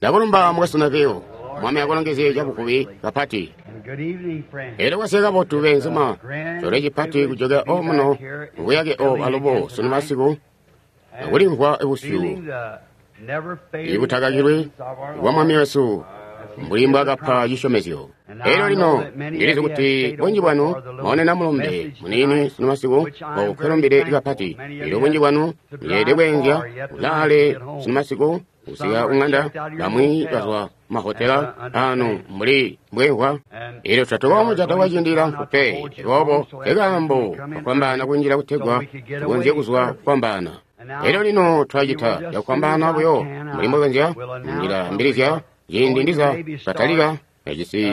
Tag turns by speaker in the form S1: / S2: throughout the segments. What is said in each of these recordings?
S1: Ndakulumba mukwesu Neville. Mwami akulongezye cabuvubi kapati. Elyo kwasika kabotu beenzuma, coolwe cipati kujokela omuno mubuyake obu alubo sunu masiku, akulimvwa busyu ibutakakilwi bwa Mwami wesu mbuli mbwaakapa cisyomezyo. Elyo lino ndilizi kuti bunji bwanu mwaonena mulumbe muniini sunu masiku nkwelumbide kapati. Elyo bunji bwanu muleelede kweenzya kulaale sunu masiku kusika kuŋanda, bamwi bazwa mahotela anu mbuli mbwemvwa. Elyo tatukoomujata kwaciindi cilamfu pe, aboobo nkekaambo kafwambaana kunjila kutegwa tukonzye kuzwa kufwambaana. Elyo lino twacita cakufwambaana buyo mbuli mbokonzya ndilaambilizya ciindi ndiza katalika yajisi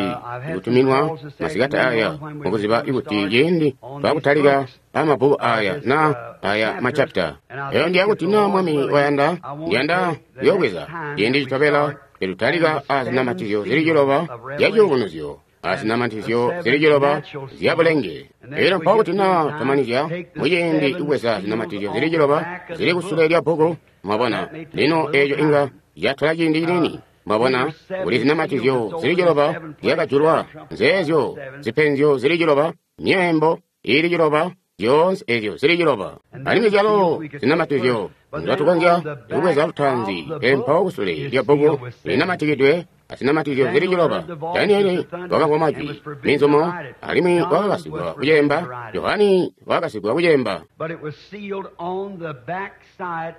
S1: kutuminwa masikati aya mukuziba kuti ciindi twakutalika amabbuku aya na aya machapita. Eyo ndiya kuti na Mwami wayanda, ndiyanda kuyoobweza ciindi citobela tetutalika azinamatizyo zili ciloba zya ciyubunuzyo, azinamatizyo zili ciloba zya bulenge. Elyo mpawo kuti na twamanizya muciindi kubweza zinamatizyo zili ciloba zili kusule lya bbuku, mwabona, lino eeco inga catola ciindi ciniini. Mwabona, kuli zinamatizyo zili ciloba zyakajulwa, nzeezyo zipenzyo zili ciloba, myeembo ili ciloba, zyoonse ezyo zili ciloba. Alimwi zyalo zinamatizyo nzatukonzya kubweza lutaanzi, pele mpawo kusule lya bbuku linamatikidwe azinamatizyo zili ciloba. Danieli wakamvwa majwi minzumo, alimwi wakakasigwa kucemba. Johani wakakasigwa kucemba.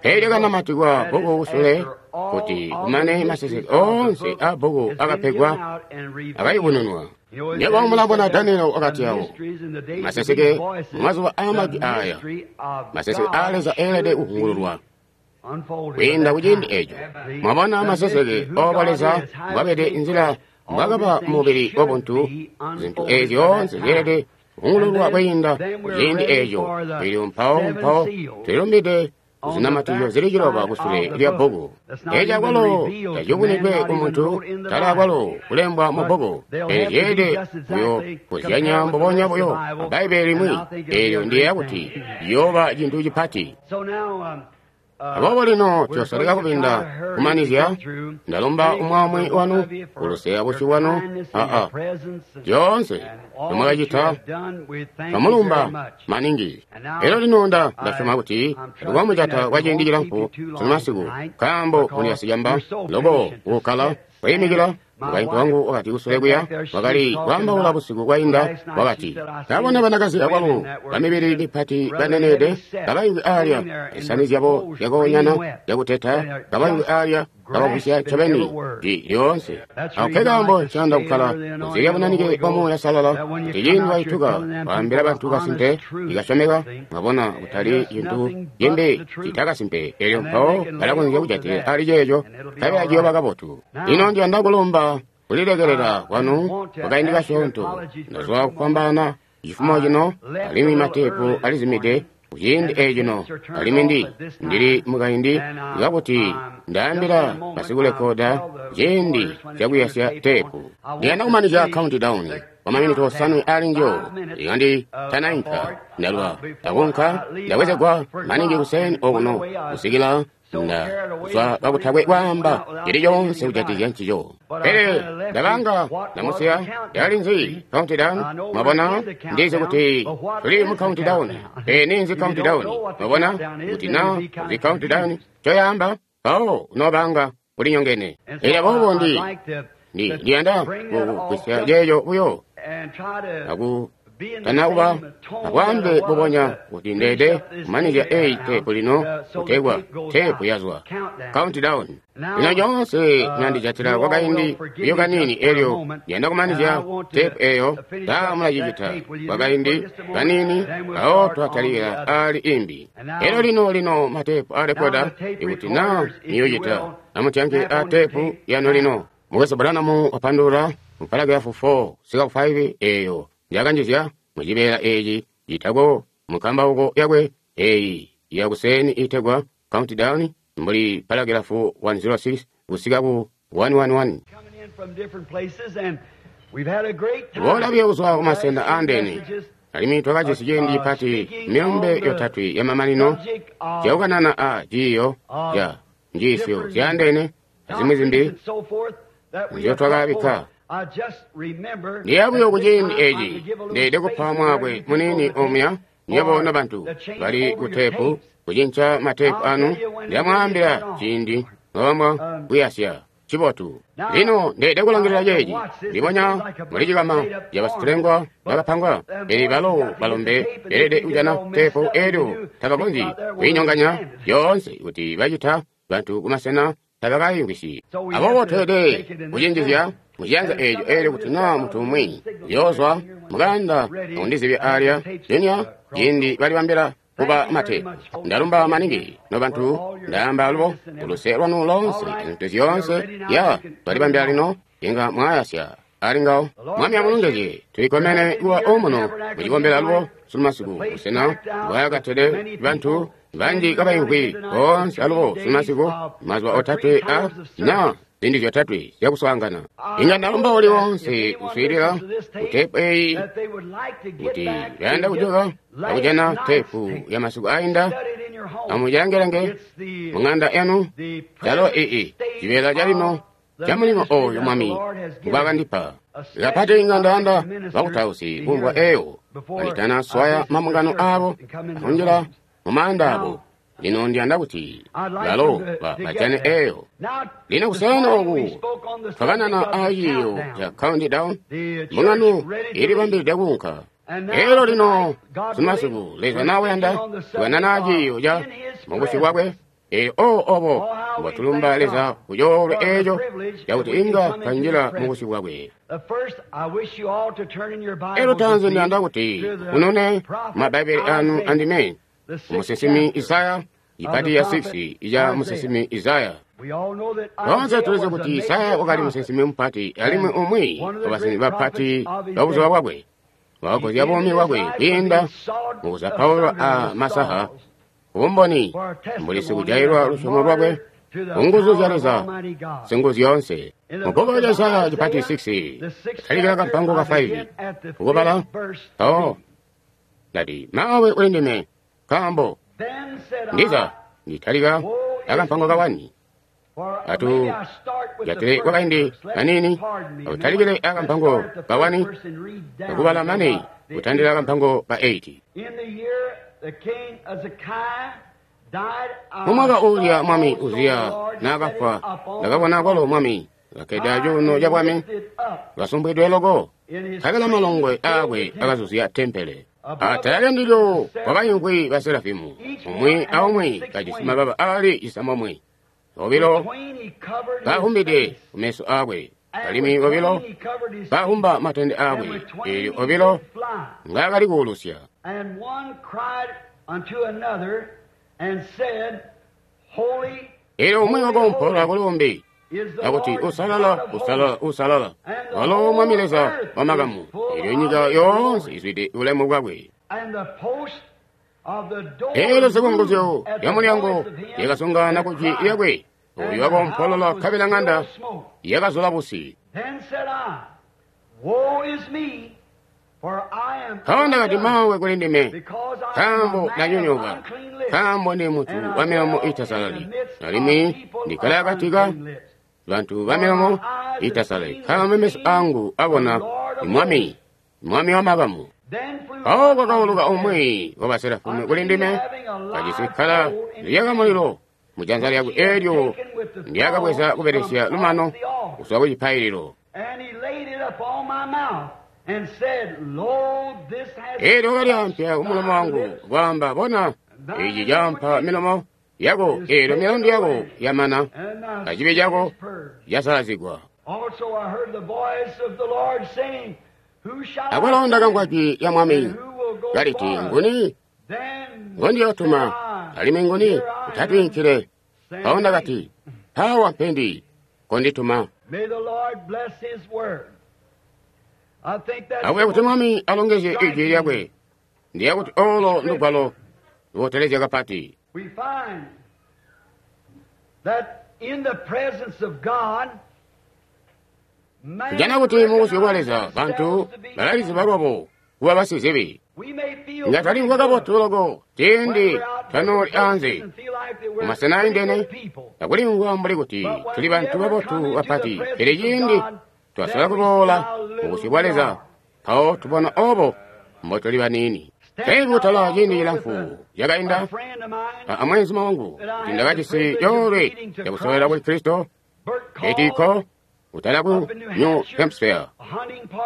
S1: Pele lyakanamatikwa bbuku kusule kuti kumane maseseke oonse a bbuku akapegwa akayubununwa. Nywebo mulabona Danieli wakati awo maseseke mumazuba aa majwi aya, maseseke aa Leza eelede kuvungululwa kwiinda kuciindi eco. Mwabona maseseke obo Leza mbwabede, nzila mbwakaba mubili wabuntu, zintu ezi zyoonse zyeelede kuvungululwa kwiinda kuciindi eco. Elyo mpawo mpawo tulilumbide zinamatizyo zili ciloba kusule lya bbuku. Eco akwalo taciyubunwidwe kumuntu, tala akwalo kulembwa mu bbuku. Pele zyeelede buyo kuzyanya mbubonya buyo a Bbaibbele limwi. Eelyo ndiyeeya kuti ciyooba cintu cipati. Aboobo lino tuyosoleka kubinda kumanizya. Ndalumba umwi wanu kuluse abusyu bwanu aa zyoonse nzomwakacita, twamulumba maningi. Elyo lino ndasyoma kuti tatukoomujata kwaciindi cilamfu sunu masiku, nkaambo muli basicamba loko kukkala kwiimikila. Mukaintu wangu wakati kusule kuya wakali kwaambaula busiku bwainda, wakati ndabona banakazi akwalo bamibili mipati baneneede kabayuwi aalya zisani zyabo zyakoonyana zyakuteta, kabayuwi aalya kabagwisya ncobeni jwi lyoonse. Ako nkekaambo ncayanda kukkala kunze lya bunanike bwa Muuya Uusalala, kuti ciindi waituka kwaambila bantu kasimpe ikasyomeka, mwabona, kutali cintu cimbi cita kasimpe. Elyo mpawo balakonzya kujatilila ali ceeco, nkabela ciyooba kabotu. Lino ndiyanda kulumba kulilekelela kwanu kwakaindi kasyoonto. Ndazwa kufwambaana cifumo cino, alimwi mateepu alizimide kuciindi ecino, alimwi ndili mukaindi kakuti ndaambila basikulekoda ciindi cakuyasya teepu. Ndiyanda kumanizya countdown kwa maminiti osanwe ali njo ikandi tanainka. Ndalwa ndakunka ndabwezegwa maningi kuseni okuno kusikila ndazwa kakutakwe kwaamba cili coonse kujatikizya ncico. Pele ndabanga ndamusiya yali nzi countdown. Mwabona, ndizi kuti tuli mu countdown. Pele ninzi countdown? Mwabona, kuti na uzi countdown coyamba mpawo unobanga ulinyongene. Elyo aboobo ndiyanda kugwisya ceeco buyo aku tanakuba abwaambe bubonya kuti ndeede kumanizya eyi teepu lino kutegwa teepu yazwa countdown. Lino lyoonse mwandijatila kwakaindi buyo kaniini, elyo ndiyanda kumanizya teepu eyo. Taa mulacicita kwakaindi kaniini, mpawo twatalikila ali imbi. Elyo lino lino mateepu alekoda, ikuti na niyocita amutyanke a teepu yanu lino. Mukwesu Branham wapandulula mu paragrafu 4 kusika ku 5 eyo njakanjizya mucibeela eeci citako mukambauko yakwe eyi yakuseni itegwa countdown mbuli paragrafu 106 kusika ku 111. Boola buyo kuzwa kumasena aandene, alimwi twakajisi ciindi cipati milumbe yotatwe yamamanino zyakukanana a ciiyo ca njiisyo zyaandene azimwi zimbi nzyotwakabikka. Ndiya buyo kuciindi eci ndeede kupa mwaakwe muniini omuya nywebo nobantu bali kuteepu kucinca mateepu anu. Ndamwaambila ciindi nobamwa kuyasya cibotu. Lino ndeede kulangilila ceeci ndibonya muli cikama cabasitulengwa bakapangwa, pele balo balombe beelede kujana teepu eelyo tabakonzyi kuinyonganya yoonse kuti bacita bantu kumasena tabakayimvwisyi. Aboobo tweelede kucinjizya muciyanza eeco eelyo kuti naa muntu umwi uyoozwa mukanda akundizibya aalya junya ciindi balibambila kuba mateepu. Ndalumba maningi nobantu, ndaamba alubo kuluse lwanu loonse zintu zyoonse ya twalibambila lino inga mwayasya ali ngawo. Mwami amulongezye. Tulikomene kuba omuno mucikombelo alubo sunu busena bwakatede bantu banji kabaimvwi boonse alubo sunu mazuba otatwe a na ziindi zyotatwe zyakuswaangana. Inga ndalumba uli wonse kuswiilila kuteepu eyi kuti bayanda kujoka akujana teepu ya masiku ainda, amucilangelange mung'anda yanu calo ii cibeela calino ca mulimo oyu Mwami ngwaakandipa. Kapati inga ndayanda bakutausi kumvwa eyo kanditana swaya mambungano aabo akunjila mumaanda abo. Lino ndiyanda kuti balo bajane eyo. Lino kuseeni oku twakanana aaciiyo ca countdown, mbungano ilibambilide kuunka. Elyo lino sunu Leza nawuyanda tukanana aaciiyo ca mubusyu bwakwe. Elyo obo mbotulumba Leza kucoolwe eeco cakuti inga twanjila mubusyu bwakwe. Elyo tanzi ndiyanda kuti munone mabbaibeli anu andime musinsimi Isaya, ipati ya 6 ija musinsimi Isaya. Toonse tulizi kuti Isaya wakali musinsimi mupati alimwi umwi wabasinsimi bapati babuzuba bwakwe. Wakakozya buumi bwakwe kwiinda mukuzapaulwa a masaha kubumboni mbuli sikujailwa lusyomo lwakwe kunguzu zya Leza singuzyoonse. Mubbuku lya Isaya cipati 6 talikila kampango ka 5 kukubala mpawo ndati, mawe uli ndime nkaambo ndiza nditalika akampango ka 1 atu jatile kwakaindi kanini akutalikile akampango ka 1 akubala mane kutandila akampango ka 8. Mumwaka uulya Mwami Uziya naakafwa, ndakabona kwalo Mwami kakkede acuuno ca bwami kasumbwidwe loko, nkabela malongwe aakwe akazuzya tempele. Atala lyandilyo kwakaimvwi baserafimu, umwi aumwi kajisi mababa aali cisamomwe, obilo kahumbide kumeso aakwe, alimwi obilo kahumba matende aakwe, eelyo obilo ngaakali kuulusya. Eelyo umwi wakoompola kuli akuti, usalala, usalala, usalala, walo Mwami Leza wamakamu, eelyo nyika yoonse izwide bulemu bwakwe. Eelyo zikunguzyo lyamulyango lyakasungana kujwi lyakwe, oyu wakompolola nkabela ŋanda yakazula busi. Mpawo ndakati, mawe kuli ndime, nkaambo ndanyonyooka, nkaambo ndi muntu wa milomo iitasalali, alimwi ndikkala akati ka bantu ba milomo iitasalali, nkaambo meso angu abona Mwami, Mwami wamakamu. Mpawo kwakauluka umwi wa baserafimu kuli ndime, kajisi kkala liyaka mulilo mujanza lyakwe eelyo ndyakabweza kubelesya lumano kuzwa ku cipaililo. Eelyo wakalyampya kumulomo wangu kwaamba, bona, ici caampa milomo yako, eelyo milandu yako yamana, acibi cako casalazigwa. Akwalo ndakamvwa jwi lya Mwami kaliti, nguni ngondiyootuma, alimwi nguni utatwiinkile? Mpawo ndakati, mpaawa mpendi, kondituma. Akuya kuti Mwami alongezye ijwi lyakwe, ndiya kuti olo ndugwalo lubotelezya kapati. Tujana kuti mubusyu bwa Leza bantu balaliziba lwabo kuba basizibi. Nga twalimvwa kabotu loko ciindi twanooli anze mumasena aindene akulimvwa mbuli kuti tuli bantu babotu bapati, pele ciindi twasola kuboola mubusyu bwa Leza, mpawo tubona obo mbotuli baniini. Pele kutala ciindi cilamfu cakainda amweenzuma wangu kuti ndakajisi coolwe cakusowela kuli Kristo etiko kutala ku New Hampshire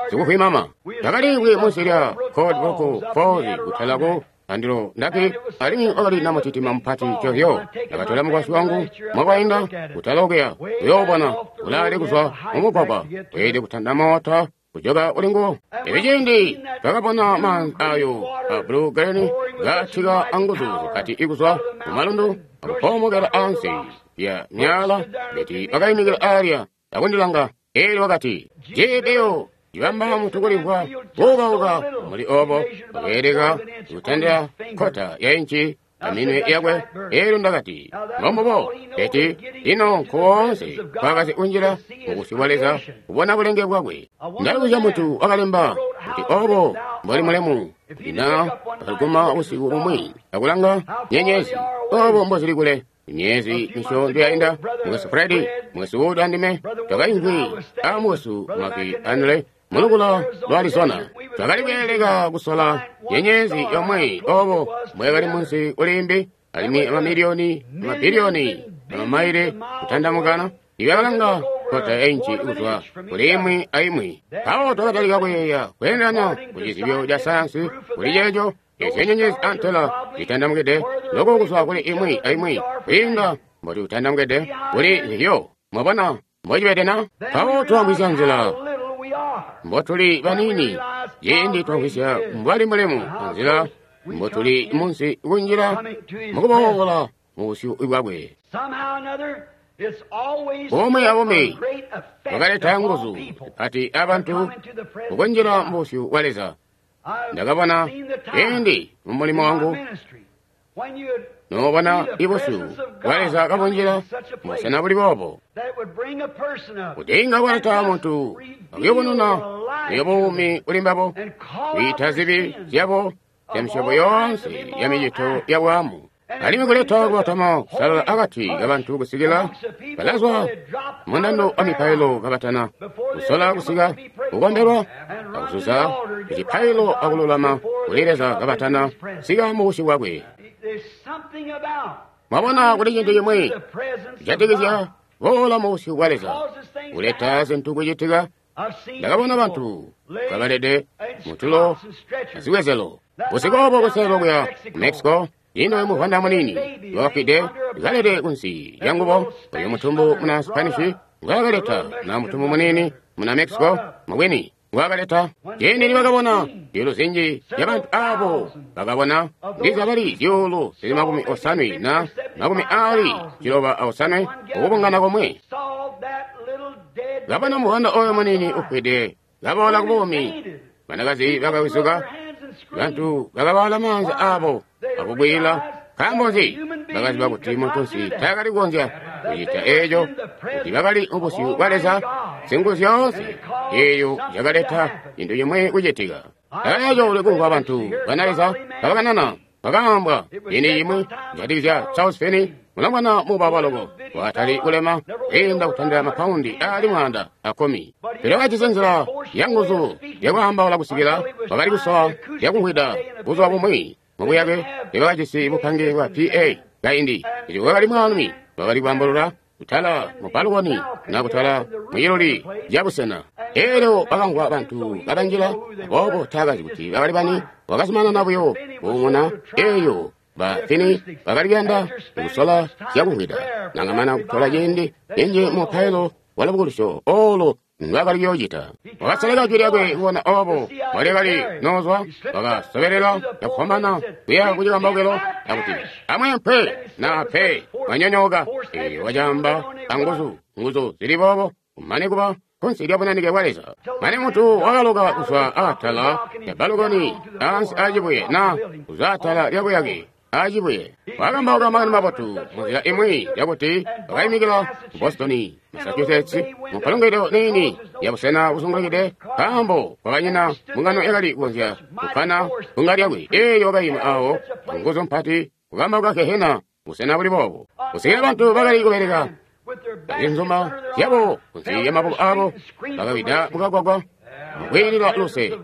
S1: sikuhwimama ndakaliimvwi munsi lya Cold Rock Falls kutala ku andilo ndaki alimwi wakali namutitima mupati covyo. Ndakatola mukwasyi wangu mwakainda kutala okuya kuyoobona ulaali kuzwa mumugwagwa weelede kutanda moota kujoka uli nguwo. Pele ciindi twakabona maanzi ayo a blue green gaatika anguzu zipati ikuzwa mumalundu akupoomokela ansi ya myala, beti wakayimikila alya akundilanga, eelyo wakati, "Jibiyo cibamba muntu kulimvwa kuukauka muli obo wakeeleka kutandila kkota ya inci aminwe yakwe." Eelyo ndakati, "Mbombubo, beti lino nkoonse kwakazi kunjila mubusyu bwa Leza kubona bulenge bwakwe." Ndalibuzya muntu wakalemba kuti obo mboli mulemu kuti na akaguma usiku bumwi akulanga nyenyezi obo mbozili kule. Myezi misyoonto yainda, mukwesu Fredi, mukwesu Wood andime twakaimvwi a mukwesu Maki Anle mulukula lwa Arizona. Twakali kweeleka kusola nyenyezi yomwe obo mbwekali munsi kulimbi, alimwi amamiliyoni amabiliyoni amamaile kutandamukana ibyakalanga kota ya inci kuzwa kuli imwi aimwi. Mpawo twakatalika kuyeeya kweendelana ku cizibyo ca sayansi kuli ceeco ezyo nyenyezi antela zitandamukide loko kuzwa kuli imwi aimwi kwiinda mbotutandamukide kuli nzizyo. Mwabona mbocibede na? Mpawo twamvwisya nzila mbotuli baniini ciindi twamvwisya mbwali mulemu anzila mbotuli munsi kunjila mukuboola mubusyu bwakwe. Bomwe abomwe bakaleta nguzu zipati abantu kukunjila mubusyu bwa Leza. Ndakabona ciindi mumulimo wangu noobona ibusyu bwa Leza kabunjila mubusena buli boobo kuti inga bwaleta muntu akuyubununa buyo buumi kuli mbabo, kwiita zibi zyabo zya misyobo yoonse ya micito ya bwaamu, alimwi kuleta kubatama kusalala akati kabantu kusikila balazwa mundando wa mipailo kabatana kusola kusika kukombelwa akuzuza kucipailo akululama kuli Leza kabatana sika mubusyu bwakwe. Mwabona kuli cintu cimwi kujatikizya boola mubusyu bwa Leza kuleta zintu kucitika. Ndakabona bantu kabalede mutulo azibwezelo busiku obo kuselelo kuya ku Mexico. Ino muvwanda munini wakafwide kalede kunsi ya ngubo oyo mutumbu muna Spanish ngwakaleta na mutumbu munini muna Mexico mubwini ngwakaleta. Ciindi nibakabona zyuulu zinji zyabantu abo bakabona ndiza bali zyuulu zili 70 na 97 ukubungana komwe. Kabona muvwanda oyo munini ufwide kaboola kubuumi, banakazi bakawizuka, bantu bakabala maanza abo akugwila. Nkaambo nzi? Bakaziba kuti muntunsi taakali kukonzya kucita eeco, kuti bakali mubusyu bwa Leza singuzu zyoonse eeyo yakaleta cintu cimwe kucitika. Eeco ulikumvwa bantu bana Leza kabakanana bakaambwa ciindi cimwi kujatikizya Charles Finney, mulongwana muubauba loko wakatali kulema kwiinda kutandila mapaundi aali 110. Pele wakajisi nzila yanguzu yakwaambaula kusikila wakali kusowa zyakumvwida buzuba bumwi mubuyake tebakajisi bupange bwa PA kaindi. Kuti wakali mwaalumi wakali kwaambalula kutala mu balukoni na kutala mwiluli lyabusena. Elyo bakamvwa bantu kabanjila, aboobo taakazi kuti bakali bani. Wakazumanana buyo kuumuna. Eyo ba Fini bakali kuyanda kusola zyakumvwida, nangamana kutola ciindi cinji mu mupailo wa lubukulusyo olo ndwaakali kuyoocita. Wakasoleka jwi lyakwe kubona obo mbwalyakali noozwa, wakasobelela cakufwambaana kuya kucikambaukilo akuti, "Amweempe naa pe mwanyonyooka." Eelyo wacaamba anguzu, nguzu zili boobo, kumane kuba kunsi lya bunanike bwa Leza. Mane muntu wakaloka kuzwa atala lya balukoni ansi acibuye na kuzwa atala lya buyake acibuye. Wakambauka makani mabotu munzila imwi yakuti wakayimikila mu Boston, Massachusetts, mu mpalungwidwe niini ya busena buzungulukide, nkaambo kwakanyina mbungano yakali kukonzya kukkwana bbunga lyakwe. Eeyo wakayima awo nguzu mpati kukambauka gehena busena buli boobo kusikila bantu bakali kubeleka azinzuma zyabo kunsi lya maboko abo bakawida mukagwagwa mukwiilila luse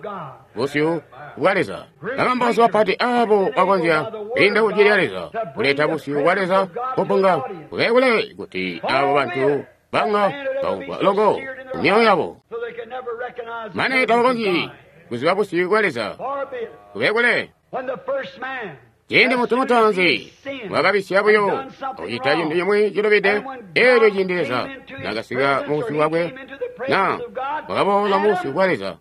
S1: busyu bwa Leza. Bakambausi bapati abo bakonzya kwiinda ku jwi lya Leza kuleta busyu bwa Leza kupunga kule kuti abo bantu banga baumvwa loko mumyoyo yabo mane tabakonzyi kuziba busyu bwa Leza kule. Ciindi muntu mutaanzi wakabisya buyo akucita cintu cimwi cilubide, eelyo ciindi Leza nakasika mu busyu bwakwe na wakaboola mu busyu bwa Leza,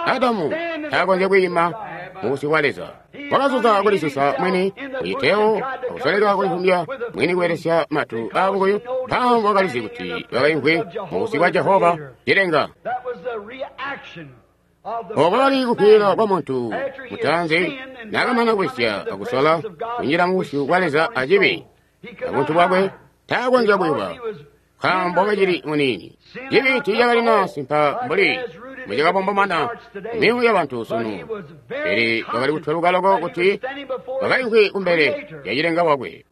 S1: Adamu taakonzya kwiima mu busyu bwa Leza. Wakazuza kulisusa mwini kucitewo akusoleka kulivumbya mwini kubelesya matu aabukuyu, nkaambo wakalizi kuti wakaimvwi mu busyu bwa Jehova cilenga. Obo bwakali kukwiila kwa muntu mutaanzi naakamana kubisya akusola kunjila mu busyu bwa Leza acibi, abuntu bwakwe taakonzya kuyuba nkaambo wakacili muniini. Cibi tiicakalina simpa mbuli mbucakabombomana mumyoyo yabantu sunu, pele wakali kutweluka loko kuti wakaimvwi kumbele lya cilenga wakwe.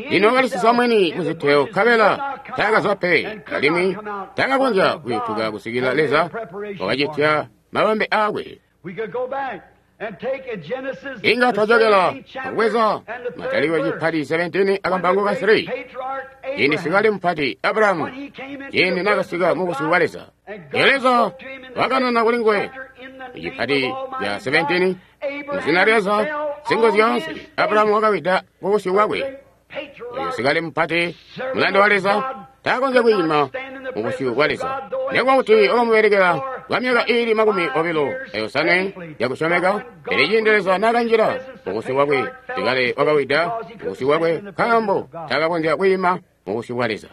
S1: Lino wakalisisa mwini muzitewo nkabela taakazwa pe, alimwi taakakonzya kuyutuka kusikila Leza wakacitya mabambe aakwe. Inga twajokela akubweza Matalikilo cipati 17 akampango ka 3. Ciindi sikale mupati Abrahamu ciindi naakasika mu busyu bwa Leza, Leza wakanana kuli nguwe icipati ca 17 muzina lya Leza Singuzyoonse. Abrahamu wakawida ku busyu bwakwe. Oyo sikale mupati mulanda wa Leza taakonzya kwiima mu busyu bwa Leza, nekuba kuti wakamubelekela kwa myaka iili 25 yakusyomeka. Pele ciindi Leza naakanjila mu busyu bwakwe, sikale wakawida mu busyu bwakwe nkaambo taakakonzya kwiima mu busyu bwa Leza.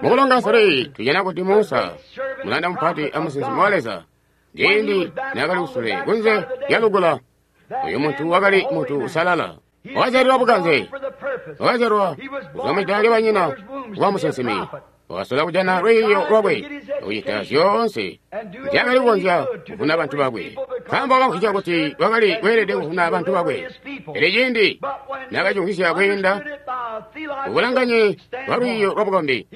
S1: Mukulonga 3 tujana kuti Musa mulanda mupati amusinsimi wa Leza, ciindi naakali kusule kunze lya lukula, uyu muntu wakali muntu usalala. Wakazyalilwa bukanze, wakazyalwa kuzwa mwida lya banyina kuba musinsimi. Wakasola kujana lwiiyo lwakwe akucita zyoonse nzyaakali kukonzya kuvuna bantu bakwe, nkaambo wakamvwisya kuti wakali kweelede kuvuna bantu bakwe. Pele ciindi naakacimvwisya kwiinda kubulanganye bwa lwiiyo lwabukombi,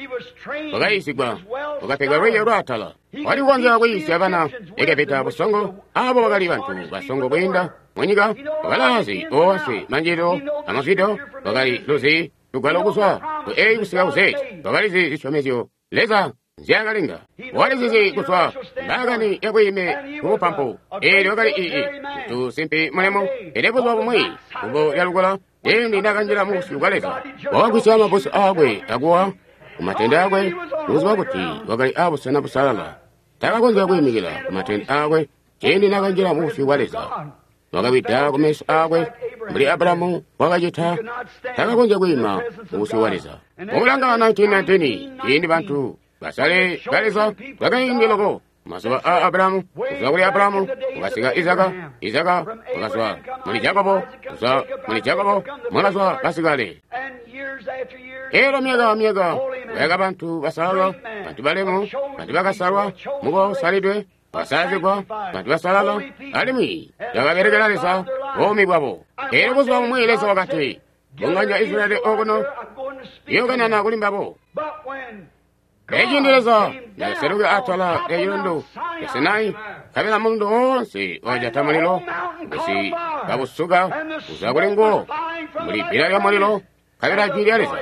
S1: wakayiisigwa, wakapegwa lwiiyo lwaatala. Wakali kukonzya kuyiisya bana Egepita busongo, abo bakali bantu basongo kwiinda munyika. Wakalaazi oonse manjililo amazwido, wakali luzi lugwalo kuzwa ku A kusika ku Z. Wakalizi zisyomezyo Leza nzyaakalenga, wakalizizi kuzwa mbaakani yakwiime kubupampu. Eelyo wakali ii muntu simpi mulemu. Pele buzuba bumwi kumbo lya lukula, ciindi naakanjila mu busyu bwa Leza, wakagwisya mabbusu aakwe akuwa kumatende aakwe, kuziba kuti wakali aabusena busalala. Taakakonzya kwiimikila kumatende aakwe ciindi naakanjila mu busyu bwa Leza. Wakawida kumeso aakwe mbuli Abrahamu wakacita, taakakonzya kwiima mu busyu bwa Leza. Mukulanga 1919 ciindi bantu basale ba Leza bakaindi loko mazuba aa Abrahamu, kuzwa kuli Abrahamu wakasika Izaka, Izaka wakazwa muli Jakobo, kuzwa muli Jakobo mwakazwa basikale. Elo myaka myaka wayaka bantu basalala, bantu balemu, bantu bakasalwa, mukosalidwe, basalazigwa, bantu basalala, alimwi bakabelekela Leza buumi bwabo. Elyo buzuba bumwi Leza wakati, bunganya Israyeli okuno, yokanana kuli mbabo. Eciindi Leza nakaseluka atala lya cilundu ca Sinai, nkabela mulundu woonse wakajata mulilo, busi kabusuka kuzwa kuli nguwo muli bbila lya mulilo, nkabela jwi lya Leza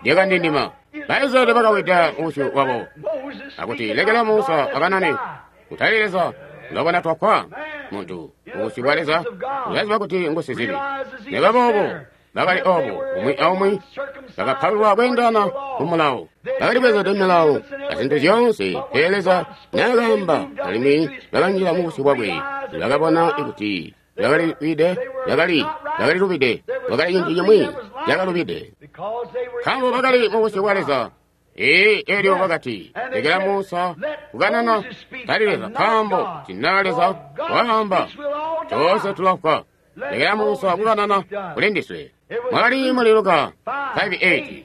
S1: lyakandindima. Baisraeli bakawida busyu bwabo akuti, lekela Musa akanane, kutali Leza. Ulabona twafwa. Muntu mubusyu bwa Leza ulaziba kuti ngusizibi. Nikuba boobo bakali obo umwi aumwi bakapalulwa kweendana ku mulawo, bakali bwezede milawo azintu zyoonse. Pele Leza naakaamba, alimwi bakanjila mubusyu bwakwe, bakabona kuti bakalilubide, bakalilubide, bakali cintu cimwi cakalubide, nkaambo bakali mubusyu bwa Leza. Ee, elyo bakati, lekela Musa kukanana, tali Leza, nkaambo tina Leza waamba, toonse tulafwa. Lekela Musa kukanana kuli ndiswe. Mwakali muli Luka 5:8.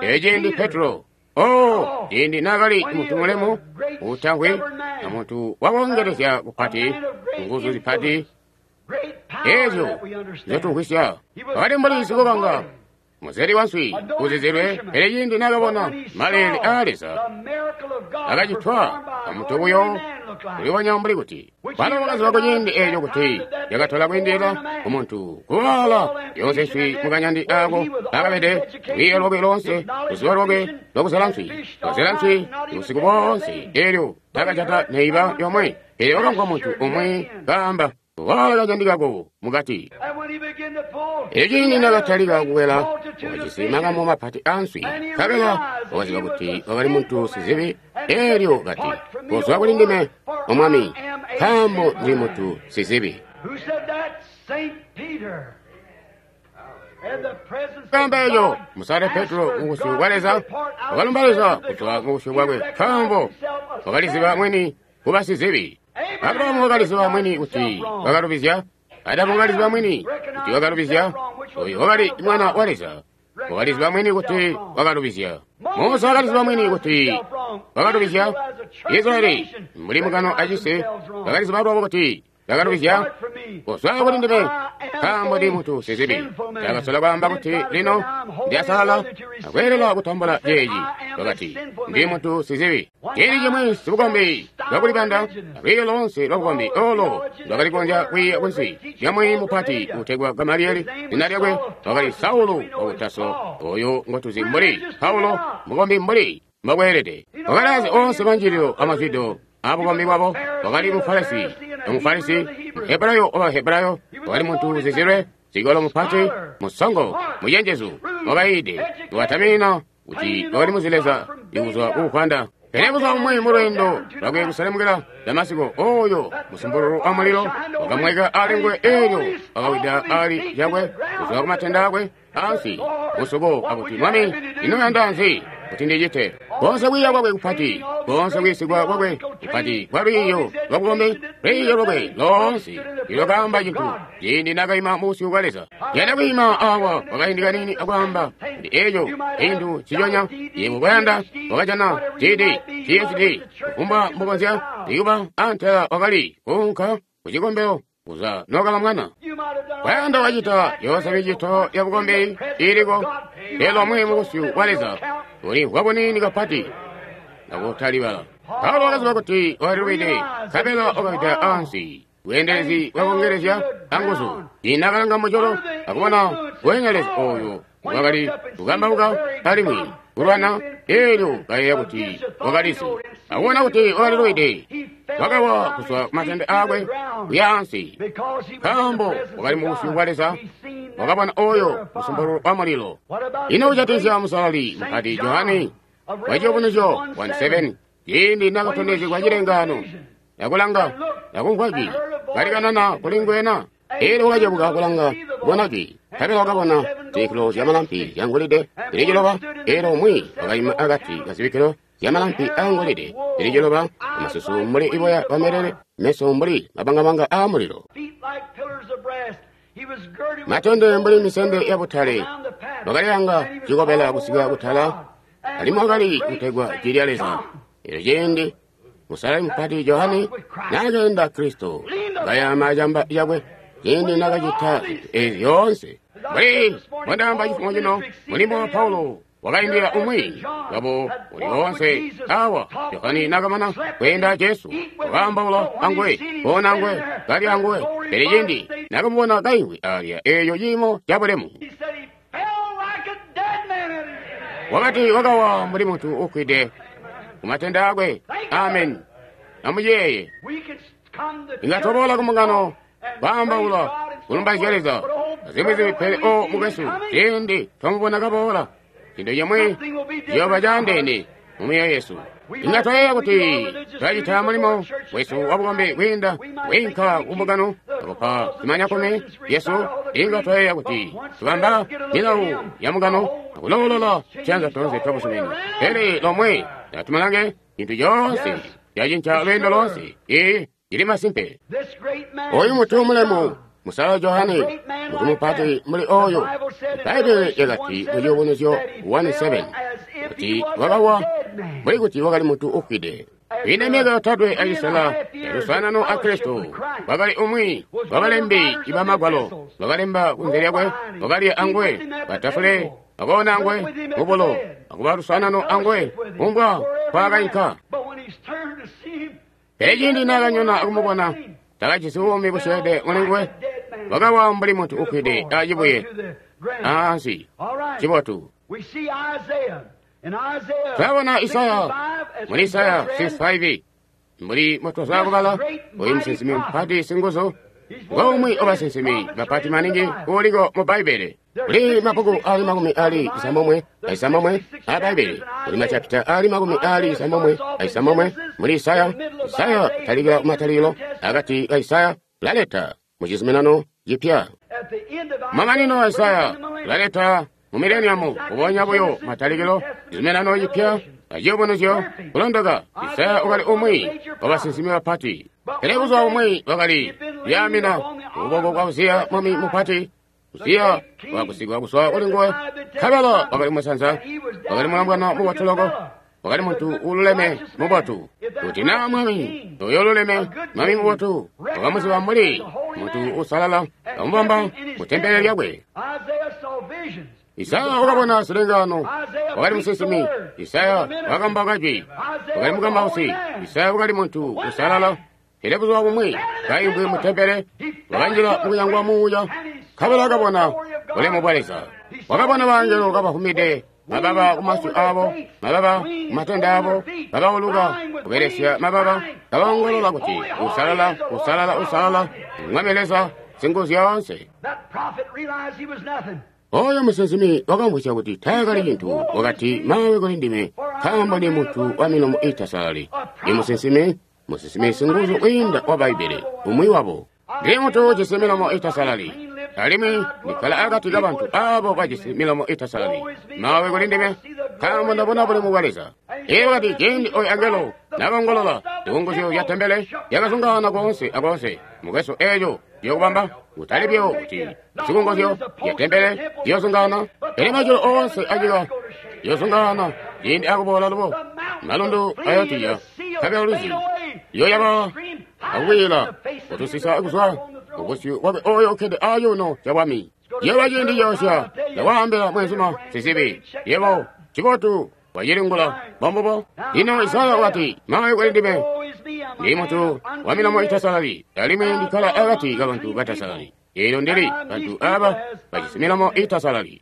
S1: Eciindi Petro, oh, ciindi naakali muntu mulemu uutangwe na muntu wakongelezya kupati, nguzu zipati, Eezyo nzyotumvwisya. Wakali mbuli sikubanga muzeli wanswi uzizilwe, pele ciindi naakabona maleele aa Leza akacitwa amuntu buyo kulibonya mbuli kuti balo bakaziba kuciindi eeco kuti yakatola kwiindilila kumuntu kuwaala yoonse nswi mukanyandi aako akabede lwiiyo lwakwe loonse, luzibo lwakwe lwakuzela nswi. Wakazela nswi busiku boonse, eelyo takajata neiba yomwe, pele wakamvwa muntu umwi kaamba, waala kanyandi kako mukati. Elyo ciindi nakatalika kukwela, wakajisi makamu mapati aanswi, nkabela wakaziba kuti wakali muntu sizibi. Eelyo kati, kozwa kuli ndime, O Mwami, nkaambo ndili muntu sizibi. Kaamba eco Musale Petro mubusyu bwa Leza, wakalumba Leza kuzwa mubusyu bwakwe, nkaambo wakaliziba mwini kuba sizibi. Abrahamu wakaliziba mwini kuti wakalubizya. Adamu wakaliziba mwini kuti wakalubizya. Oyo wakali mwana wa Leza, wakaliziba mwini kuti wakalubizya. Musa wakaliziba mwini kuti wakalubizya. Israeli mbuli mukano acisi wakaliziba lwabo kuti bakalubizya. Kozwa kuli ndime, nkaambo ndi muntu sizibi. Ndakasola kwaamba kuti lino ndyasalala akweelela kutambula ceeci. Wakati, ndi muntu sizibi. Ciindi cimwi sibukombi lwakulibanda alwiiyo loonse lwabukombi olo lwakali kukonzya kwiiya kunsi lya mwiiyi mupati uutegwa Gamaliyeli. Zina lyakwe wakali Saulu waku Taso, oyo ngotuzi mbuli Paulo, mukombi mbuli mbakweelede. Wakalazi onse manjililo amazwido abukombi bwabo. Wakali Mufarisi Omufarisi, Muhebrayo Obahebrayo, wakali muntu uzizilwe, sikolo mupati, musongo, mucenjezu, wakayiide, wakatamina kuti wakali muzi Leza ikuzwa kuukwanda. Pele buzuba bumwi mulweendo lwakwe kuselemukila Damasiko, oyo musumpululu wa mulilo wakamweka ali nguwe, eelyo wakawida ali cakwe kuzwa kumatenda akwe ansi musuko akuti, Mwami, ino uyanda nzi kuti ndicite? Konse kwiiya kwakwe kupati, konse kuyiisigwa kwakwe kupati kwa lwiiyo lwabukombi, lwiiyo lwakwe loonse ilwakaamba cintu ciindi naakaima mubusyu bwa Leza. Yanda kwiima awa kwakaindi kaniini akwaamba kuti eeco cintu nciconya yebo koyanda, wakajana GD, PhD, kufumbwa mbukonzya ikuba antela wakali kuunka kucikombelo kuza nokaba mwana. Kwayanda wacita yoonse micito ya bukombi iiliko, pele lomwe mubusyu bwa Leza ulimvwa buniini kapati nakutalibala. Paulo wakaziba kuti wakalilubide, nkabela wakawida ansi. Bweendelezi bwakongelezya anguzu. Inakalanga mujulu akubona bweendelezi oyo wakali kukambauka alimwi kulwana, eelyo kayeeya kuti wakalizi. Akubona kuti wakalilubide, wakawa kuzwa kumatende aakwe kuya ansi, nkaambo wakali mubusyu bwa Leza. Wakabona oyo musumpululu wa mulilo. Ino kujatikizya Musalali Mupati Johane wa Ciyubunuzyo 1:7, ciindi nakatondezegwa cilengaano, nakulanga, nakumvwa jwi kalikanana kuli nguwena. Eelyo wakacebuka kulanga kubona jwi, nkabela wakabona zibikkilo zyamalampi zyangolide zili ciloba. Eelyo umwi wakaima akati kazibikkilo zyamalampi aangolide zili ciloba, amasusu mbuli iboya bwamelele, meso mbuli mabangabanga aamulilo, matende mbuli misende yabutale. Wakalilanga cikobela kusika kutala, alimwi wakali kutegwa Jwi lya Leza. Eelyo ciindi Musalali Mupati Johane naakeenda Kristo kayaama acamba cakwe ciindi naakacita zintu eezi zyoonse. Mbuli mbondaamba cifumo cino, mulimo wa Paulo wakaindila umwi wabo uli woonse awa. Johane naakamana kweenda Jesu, wakaambaula anguwe, koona anguwe, kalya anguwe. Pele ciindi naakamubona kaimvwi alya eeco ciimo cabulemu, wakati wakawa mbuli muntu uufwide kumatende akwe. Amen. Amuyeeye, inga twaboola kumbungano kwaambaula kulumbaizya Leza azimwi zimwi, pele o mukwesu, ciindi twamubona kaboola, cintu cimwi ciyooba caandeene mu myoyo yesu. Inga twayeeya kuti twacita mulimo wesu wabukombi kwiinda kwiinka kumbungano akupa zimanyakumi yesu. Inga twayeeya kuti tubamba milawu ya mungano akuloolola ciyanza toonse twabusumini, pele lomwe natumalange cintu coonse cacinca lweendo loonse. Ee, cili masimpe. Oyu mutu mulemu Musala Johane, mutu mupati muli oyo, Bbaibele lyakati mu Ciyubunuzyo 1:7 kuti wakawa mbuli kuti wakali muntu ufwide. Kwiinda myaka yotatwe acisela yaluswaanano a Kristo, wakali umwi wabalembi ibamagwalo, wakalemba kunze lyakwe, wakalya anguwe patafule, wakoona anguwe mubulo, akuba luswaanano anguwe kumbwa nkwaakainka. Pele ciindi naakanyona akumubona, takajisi buumi busyeede mulinguwe, wakawa mbuli muntu ufwide acibuye ansi. Cibotu. Twabona Isaya muli Isaya 65 mbuli mutozwa kubala oyu musinsimi mupati singuzu ngomwe wabasinsimi bapati maningi uuliko mu Bbaibbele. Kuli mabbuku ali 96 a Bbaibbele, kuli machapita ali 96 muli Isaya. Isaya talikila kumatalikilo akati ka Isaya laleta mu Cizuminano Cipya. Mamanino a Isaya laleta mu mileniamu kubonya buyo matalikilo Cizuminano Cipya aciyubunuzyo kulondoka. Isaya wakali umwi wabasinsimi bapati, pele buzuba bumwi wakali kuyaamina ukuboko kwa Uziya mwami mupati. Uziya wakagusigwa kuzwa kuli nguwe, nkabela wakali musanza, wakali mulombwana mubotu loko, wakali muntu uululeme mubotu. Kuti naa mwami oyo ululeme, mwami mubotu, wakamuziba mbuli muntu uusalala, kamubamba mu tempele lyakwe. Isaya wakabona zilengaano, wakali musinsimi. Isaya wakamba kajwi, wakali mukambausi. Isaya wakali muntu usalala. Pele buzuba bumwi kaimvwi mu tempele, wakanjila mukuyangwa muuya, nkabela wakabona bulemu bwa Leza. Wakabona baangelo kabafumide mababa kumasyu aabo, mababa kumatende aabo, kabauluka kubelesya mababa, kabaongolola kuti, usalala, usalala, usalala, Mwami Leza Singuzyoonse. Oyo musinsimi wakamvwisya kuti taakali cintu, wakati, mawe kuli ndime, nkaambo ndi muntu wa milomo iitasalali. Ndi musinsimi, musinsimi singuzu kwiinda wa Bbaibbele, umwi wabo. Ndi muntu ujisi milomo iitasalali, alimwi ndikkala akati kabantu aabo bajisi milomo iitasalali. Mawe kuli ndime, nkaambo ndabona bulemu bwa Leza. Iye wakati, ciindi oyo angelo nakongolola, zikunguzyo zya tempele zyakazungaana koonse akoonse. Mukwesu, eeco ciyokubamba kutali buyo kuti zikunguzyo zya tempele ziyozungaana, pele majulu oonse anyika ziyozungaana ciindi akuboola lubo. Malundu ayotiya, nkabela lwizi luyoyaba akukwiila kutusisa kuzwa kubusyu bwakwe oyo ukkede acuuno cabwami. Ciyooba ciindi coosya, ndakwaambila mweenzuma sizibi, yebo cibotu wacilingula bombubo. Lino Isaya wakati, mawe kuli ndime, ndi muntu wa milomo itasalali, alimwi ndikkala akati kabantu batasalali. Eelyo ndili bantu aaba bajisi milomo itasalali.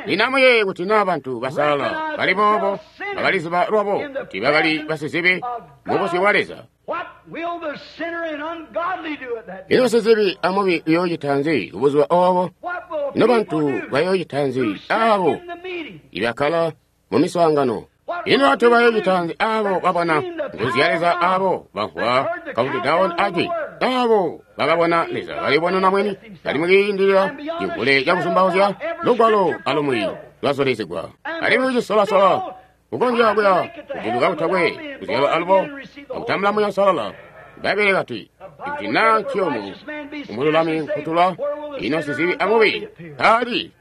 S1: Lino amuyeeye kuti naa bantu basalala bali boobo bakaliziba lwabo kuti bakali basizibi mubusyu bwa Leza. Ino sizibi amubi uyoocita nzi kubuzuba oobo? Ino bantu bayoocita nzi aabo ibakkala mu miswaangano? Ino bantu bayoocita nzi aabo babona nguzu ya Leza, aabo bamvwa countdown ajwi, aabo bakabona Leza kalibonena mwini kali mukiindilila civule cakuzumbauzya lugwalo alumwi lwazulizigwa, alimwi kucisolasola kukonzya kuya kujiluka kutakwe kuzyalwa alubo akutambula Muuya Uusalala. Bbaibbele kati, ikuti naa nciyomu umululami nkutula, ino sizibi amubi taali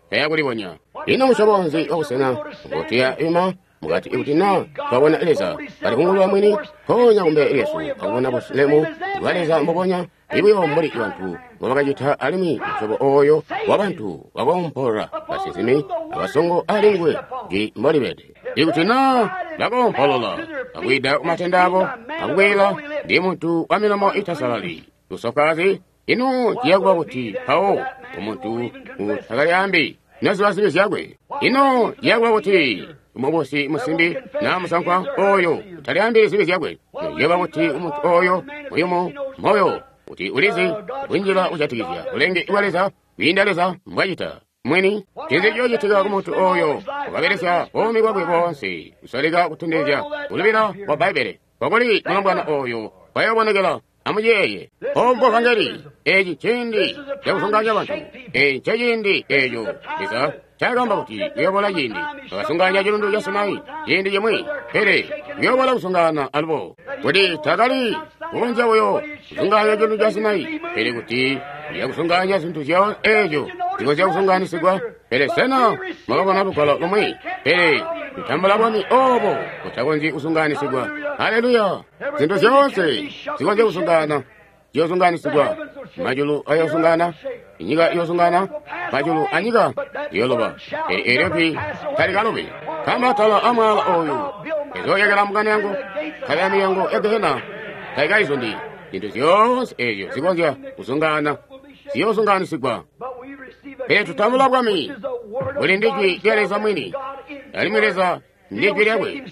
S1: tayakulibonya. Ino musyobo nzi wabusena ngotuya ima mukati ikuti naa twabona Leza kali kungulula mwini mpoonya kumbele lyesu akubona bulemu bwa Leza mbubonya ibuyo mbuli bantu mbobakacita, alimwi musyobo ooyo wabantu wakoompolola basinsimi abasongo alinguwe jwi mbolibede. Ikuti naa bakoompolola akwida kumatende abo akukwiila, ndi muntu wa milomo itasalali lusofaazi, ino ciyakuba kuti mpawo umuntu utakalyaambi naziba zibi zyakwe? Ino ciyakuba kuti umubusi musimbi naa musankwa oyo utalyaambi zibi zyakwe? Ciyakuba kuti umuntu oyo muyumu moyo kuti ulizi kunjila kujatikizya bulenge bwa Leza kwiinda Leza mbwacita mwini? Ncinzi ciyoocitika kumuntu oyo wakabelesya buumi bwakwe boonse kusoleka kutondezya kulubila kwa Bbaibbele? Kwakuli mulombwana oyo kwayoobonekela. Amuyeeye, ombo vangeli, eci ciindi cakuzungaanya bantu. Eci nceciindi eeco Leza ncaakaamba kuti uyoobola ciindi bakasunganya cilundu ca Sinai ciindi cimwi, pele uyoobola kusungana alubo. Kuti taakali kukonzya buyo kusunganya cilundu ca Sinai, pele kuti uyakusunganya zintu zyoonse eeco zikonzya kuzungaanisigwa. Pele sena mwakabona lugwalo lumwi? Pele tutambula bwami obo butakonzyi kuzungaanisigwa. Haleluya! Zintu zyoonse zikonzya kuzungaana ziyozungaanisigwa. Majulu ayozungaana, inyika iyozungaana, majulu anyika ziyoloba. Pele eelyo jwi talikalobi. Nkaambo atala amwaala oyu ezoyekela mbungano yangu, nkabela milyango ya gehena taikaizundi. Zintu zyoonse eezyo zikonzya kuzungaana ziyozungaanisigwa. Pele tutambula bwami buli ndi jwi lya Leza mwini, alimwi Leza ndi jwi lyakwe.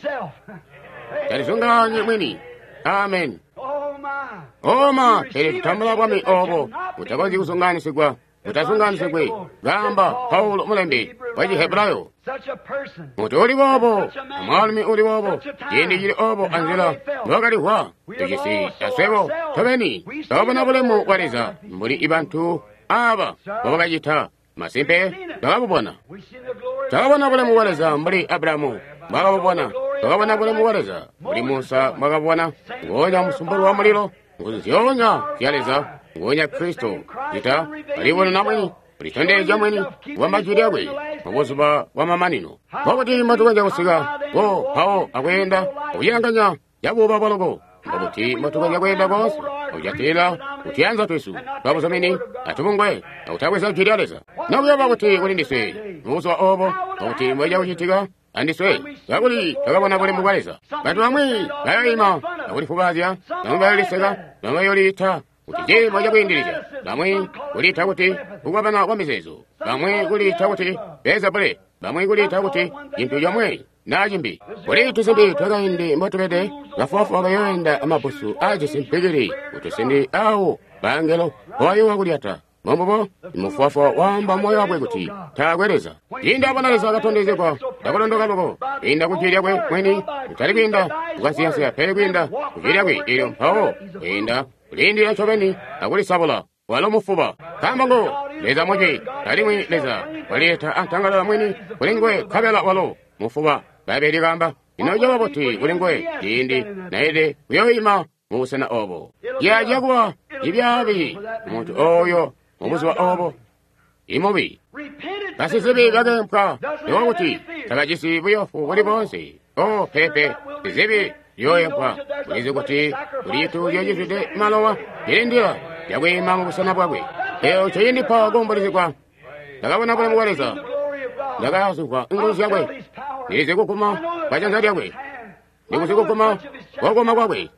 S1: Talizungaanyi mwini. Amen. Oma, pele tutambula bwami obo butakonzyi kuzungaanisigwa, butazungaanisigwi, kaamba Paulo mulembi wa Chihebrayo. Muntu uli boobo, amwaalumi uli boobo, ciindi cili obo anzila mbwakalihwa, tujisi aswebo tobeni twakabona bulemu bwa Leza mbuli ibantu aba mbobakacita. Masimpe twakabubona. Twakabona bulemu bwa Leza mbuli Abrahamu mbwakabubona. Twakabona bulemu bwa Leza mbuli Musa mbwakabubona. Ngoonya musumpulu wa mulilo, nguzu zyoonya zya Leza, ngoonya Kristo cita alibonena mwini, kulitondezya mwini, kubamba jwi lyakwe mubuzuba bwa mamanino. Mbobuti mbotukonzya kusika ko mpawo akweenda akucilanganya cabuuba bwaloko? Mbobuti mbotukonzya kweenda koonse akujatilila kutuyanza twesu twabuzumini atubungwe akutabweza jwi lya Leza? Nokuyoba kuti kuli ndiswe mubuzuba obo, mbobuti mbocija kucitika andiswe kakuli twakabona bulemu bwa Leza. Bantu bamwi bayoima akulifubaazya, bamwi bayoliseka, bamwi bayoliita kuti ciimo cakwiindilizya, bamwi kuliita kuti kukwabana kwa mizeezo, bamwi kuliita kuti Beelzebule, bamwi kuliita kuti cintu comwe naa cimbi. Kuli tusimbi twakaindi mbotubede, bafubafuba bayoenda amabbusu aajisi mpikili kutusindi awo bangelo mbobayoowa kulyata. Mbombubo mufubafuba waamba moyo wakwe kuti taakwe Leza. Ciindi abona Leza akatondezegwa cakulondoka loko kwiinda ku jwi lyakwe mwini, kutali kwiinda kukansiyansiya pele kwiinda ku jwi lyakwe eelyo mpawo kwiinda kulindila ncobeni akulisabula. Walo mufuba. Nkaambo ngo Leza mujwi, alimwi Leza walileta antangalala mwini kuli nguwe nkabela walo mufuba. Bbaibbele likaamba, ino caba buti kuli nguwe ciindi naelede kuyoima mubusena obo? Ciyaciya kuba cibyaabi muntu oyo mubuzuba obo imubi. Basizibi bakeempwa nikuba kuti tabajisi buyofu buli boonse. Oh, pepe, sizibi ziyooempwa. Ulizi kuti kuli cituuzyo cizwide malowa cilindila cakwiima mubusena bwakwe. Eeyo ncecindipa kuumbulizigwa. Ndakabona bulemu bwa Leza, ndakazimvwa nguzu zyakwe, ndilizi kuguma kwa janza lyakwe, ndikuzi kuguma kwa kwakwe.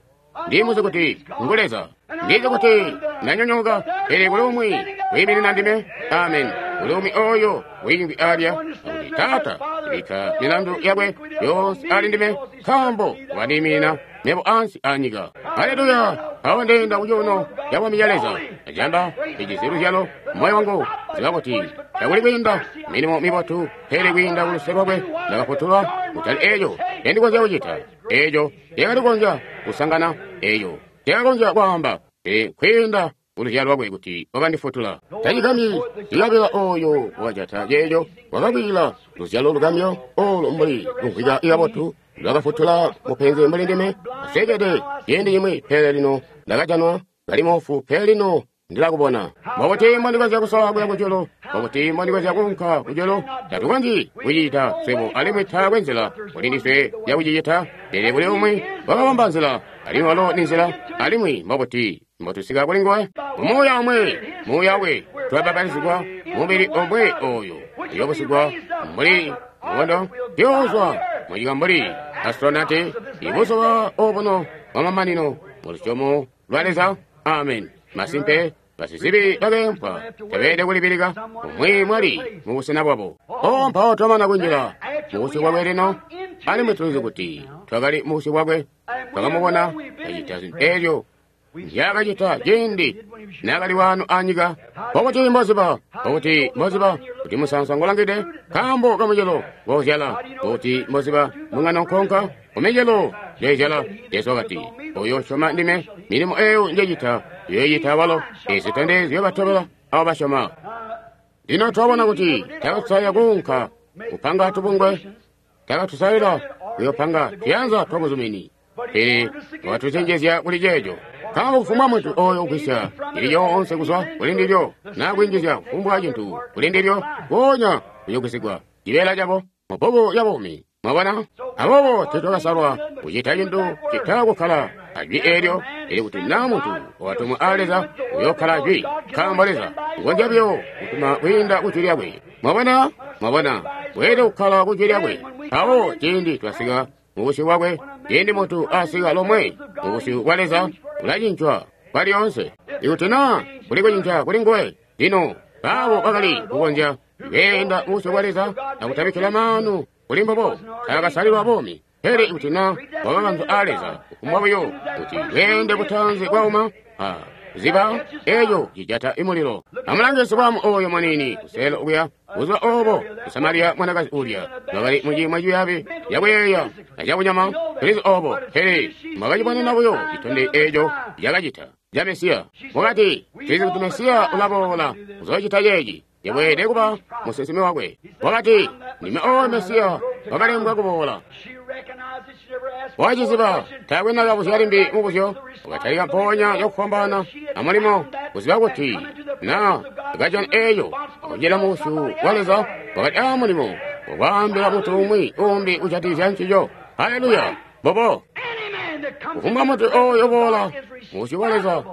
S1: Ndimuzi kuti ngu Leza. Ndizi kuti ndanyonyooka, pele kuli umwi wiiminina ndime. Amen. Kuli umwi oyo wiimvwi alya akuti, Taata, bikka milandu yakwe yoonse ali ndime, nkaambo wandiiminina mebo ansi anyika. Haleluya! Mpawo ndeenda kucuuno ca bwami ca Leza, acamba cijisi luzyalo moyo wangu, ziba kuti takuli kwiinda milimo mibotu, pele kwiinda kuluse lwakwe ndakafutulwa, kutali eeco ncendikonzya kucita, eeco nceakali kusangana, eeco nceakakonzya kwaamba, pele kwiinda kuluzyalo lwakwe kuti wakandifutula. Tacigambyi cikabila ooyo wakajata ceeco wakakwiila luzyalo lugamyo olo mbuli lumvwika kabotu lwakafutula mupenzi mbuli ndime. Asweekede ciindi cimwi, pele lino ndakajanwa, kali moofu, pele lino ndilakubona. Mbobuti mbondikonzya kusola kuya kujulu? Mbobuti mbondikonzya kuunka kujulu? Tatukonzyi kucicita swebo, alimwi taakwe nzila kuli ndiswe yakucicita. Pele kuli umwi wakabamba nzila, alimwi walo ni nzila. Alimwi mbobuti mbotusika kuli nguwe? Mumuuya omwe, muuya wakwe, twabapatizigwa mubili omwe oyo uyoobusigwa mbuli mukondo, tuyoozwa munyika mbuli astronati ibuzuba obuno bwamamanino mulusyomo lwa Leza. Amen. Masimpe, basizibi bakeempwa tabeelede kulibilika umwi mwali mubusena bwabo. Oh, mpawo twamana kunjila mubusyu bwakwe lino, alimwi tulizi kuti twakali mubusyu bwakwe, twakamubona kacita zintu eelyo nzyaakacita ciindi naakali waano anyika. Mbobuti mboziba? Mbobuti mboziba kuti musaansa ngolangide? Nkaambo kamucelo ngoozyala. Mbobuti mboziba mungano nkonka? Kumicelo njoizyala. Jesu wakati, oyo usyoma ndime, milimo eyo njecita uyoicita awalo. Eezi zitondezyo batobela abo basyoma. Lino twabona kuti takatusalila kuunka kupanga tubungwe, takatusalila kuyopanga tuyanza twabuzumini, pele wakatucenjezya kuli ceeco. Nkaambo kufumbwa muntu oyo ugwisya cili coonse kuzwa kuli ndilyo, na kwinjizya kufumbwa cintu kuli ndilyo, mpoonya kuyogwisigwa cibeela cabo mu bbuku lya buumi. Mwabona? Aboobo teetwakasalwa kucita cintu cita kukkala ajwi eelyo, pele kuti naa muntu wakatumwa aa Leza uyookkala ajwi, nkaambo Leza ukonzya buyo kutuma kwiinda ku jwi lyakwe. Mwabona? Mwabona? Weelede kukkala ku jwi lyakwe. Mpawo ciindi twasika mu busyu bwakwe, ciindi muntu asika lomwe mu busyu bwa Leza, ulacincwa kwalyoonse. Ikuti naa kuli kucinca kuli nguwe, lino baabo bakali kukonzya kweenda mu busyu bwa Leza akutabikkila maanu kuli mbubo, taakasalilwa buumi. Pele ikuti naa wakakanzwa aa Leza, kufumbwa buyo kuti bweende butaanzi bwauma, a kuziba eco cijata imulilo. Amulange sibwaamu oyo muniini kuseelo okuya, buzuba obo Musamariya mwanakazi ulya wakali muciimo cibyaabi cakuyeeya acakunyama, tulizi obo, pele mwakacibonena buyo citondezyo eco cakacita ca Mesiya. Wakati, tulizi kuti Mesiya ulaboola kuzoocita ceeci. Yabweede kuba musinsimi wakwe. Wakati, ndime oyo Mesiya wakalembwa kuboola. Waciziba, taakwe nakabuzya limbi mubuzyo. Wakatalika mpoonya cakufwambaana amulimo kuziba kuti na kajana eeyo akunjila mu busyu bwa Leza, wakali aa mulimo wakwaambila muntu umwi uumbi kujatikizya ncico. Haleluya! Mbobo. Kufumbwa muntu oyo uboola mu busyu bwa Leza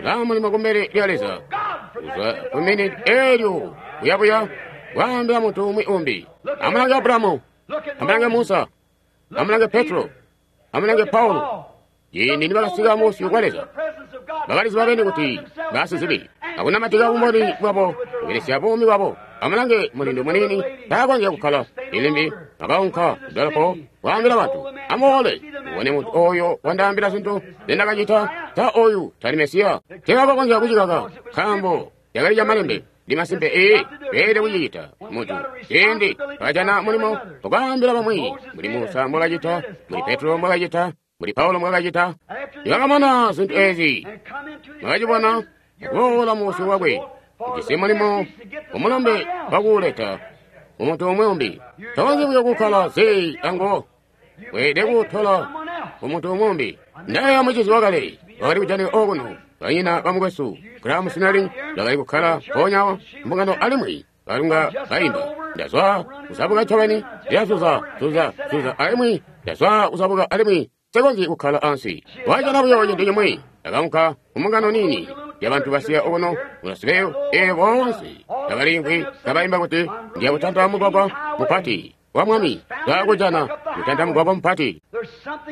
S1: ulaa mulimo kumbele lya Leza. Kuzwa ku miniti eelyo buyabuya kwaambila muntu umwi umbi. Amulange Abrahamu, amulange Musa, amulange Petro, amulange Paulo. Ciindi nibakasika mu busyu bwa Leza, bakaliziba beni kuti basizibi, akunamatika bumboni bwabo kubelesya buumi bwabo. Amulange mulindu muniini taakonzya kukkala ilimbi, akaunka kudolopo kwaambila bantu, amuboole mubone muntu oyo wandaambila zintu nzendakacita. Sa oyu tali Mesiya? Teebakakonzya kucikaka, nkaambo cakali camalembe. Ndi masimpe ee, beelede kucicita muntu. Ciindi bakajana mulimo wakwaambila bamwi, mbuli Musa mbwakacita, mbuli Petro mbwakacita, mbuli Paulo mbwakacita. Nibakamana zintu eezi, bakacibona akuboola mu busyu bwakwe, ujisi mulimo wamulombe wakuuleta mumuntu umwi umbi. Tokonzyi buyo kukkala zii anguwo, weelede kuutola kumuntu umwi umbi. Ndayeeya mucizi wakale wakali kujanika okuno, banyina bamukwesu Graham Snelling bakali kukkala mpoonya awo mbungano alimwi balunga baimba. Ndazwa kuzabuka ncobeni, ndilazuza, zuza, zuza alimwi ndazwa kuzabuka alimwi nsikonzyi kukkala ansi. Wajana buyo cintu cimwi, ndakaunka kumbungano niini yabantu basiya okuno ku Nashville, eelyo boonse bakaliimvwi kabaimba kuti ndiya kutanta mugwagwa mupati wa Mwami, ndakujana kutanta mugwagwa mupati.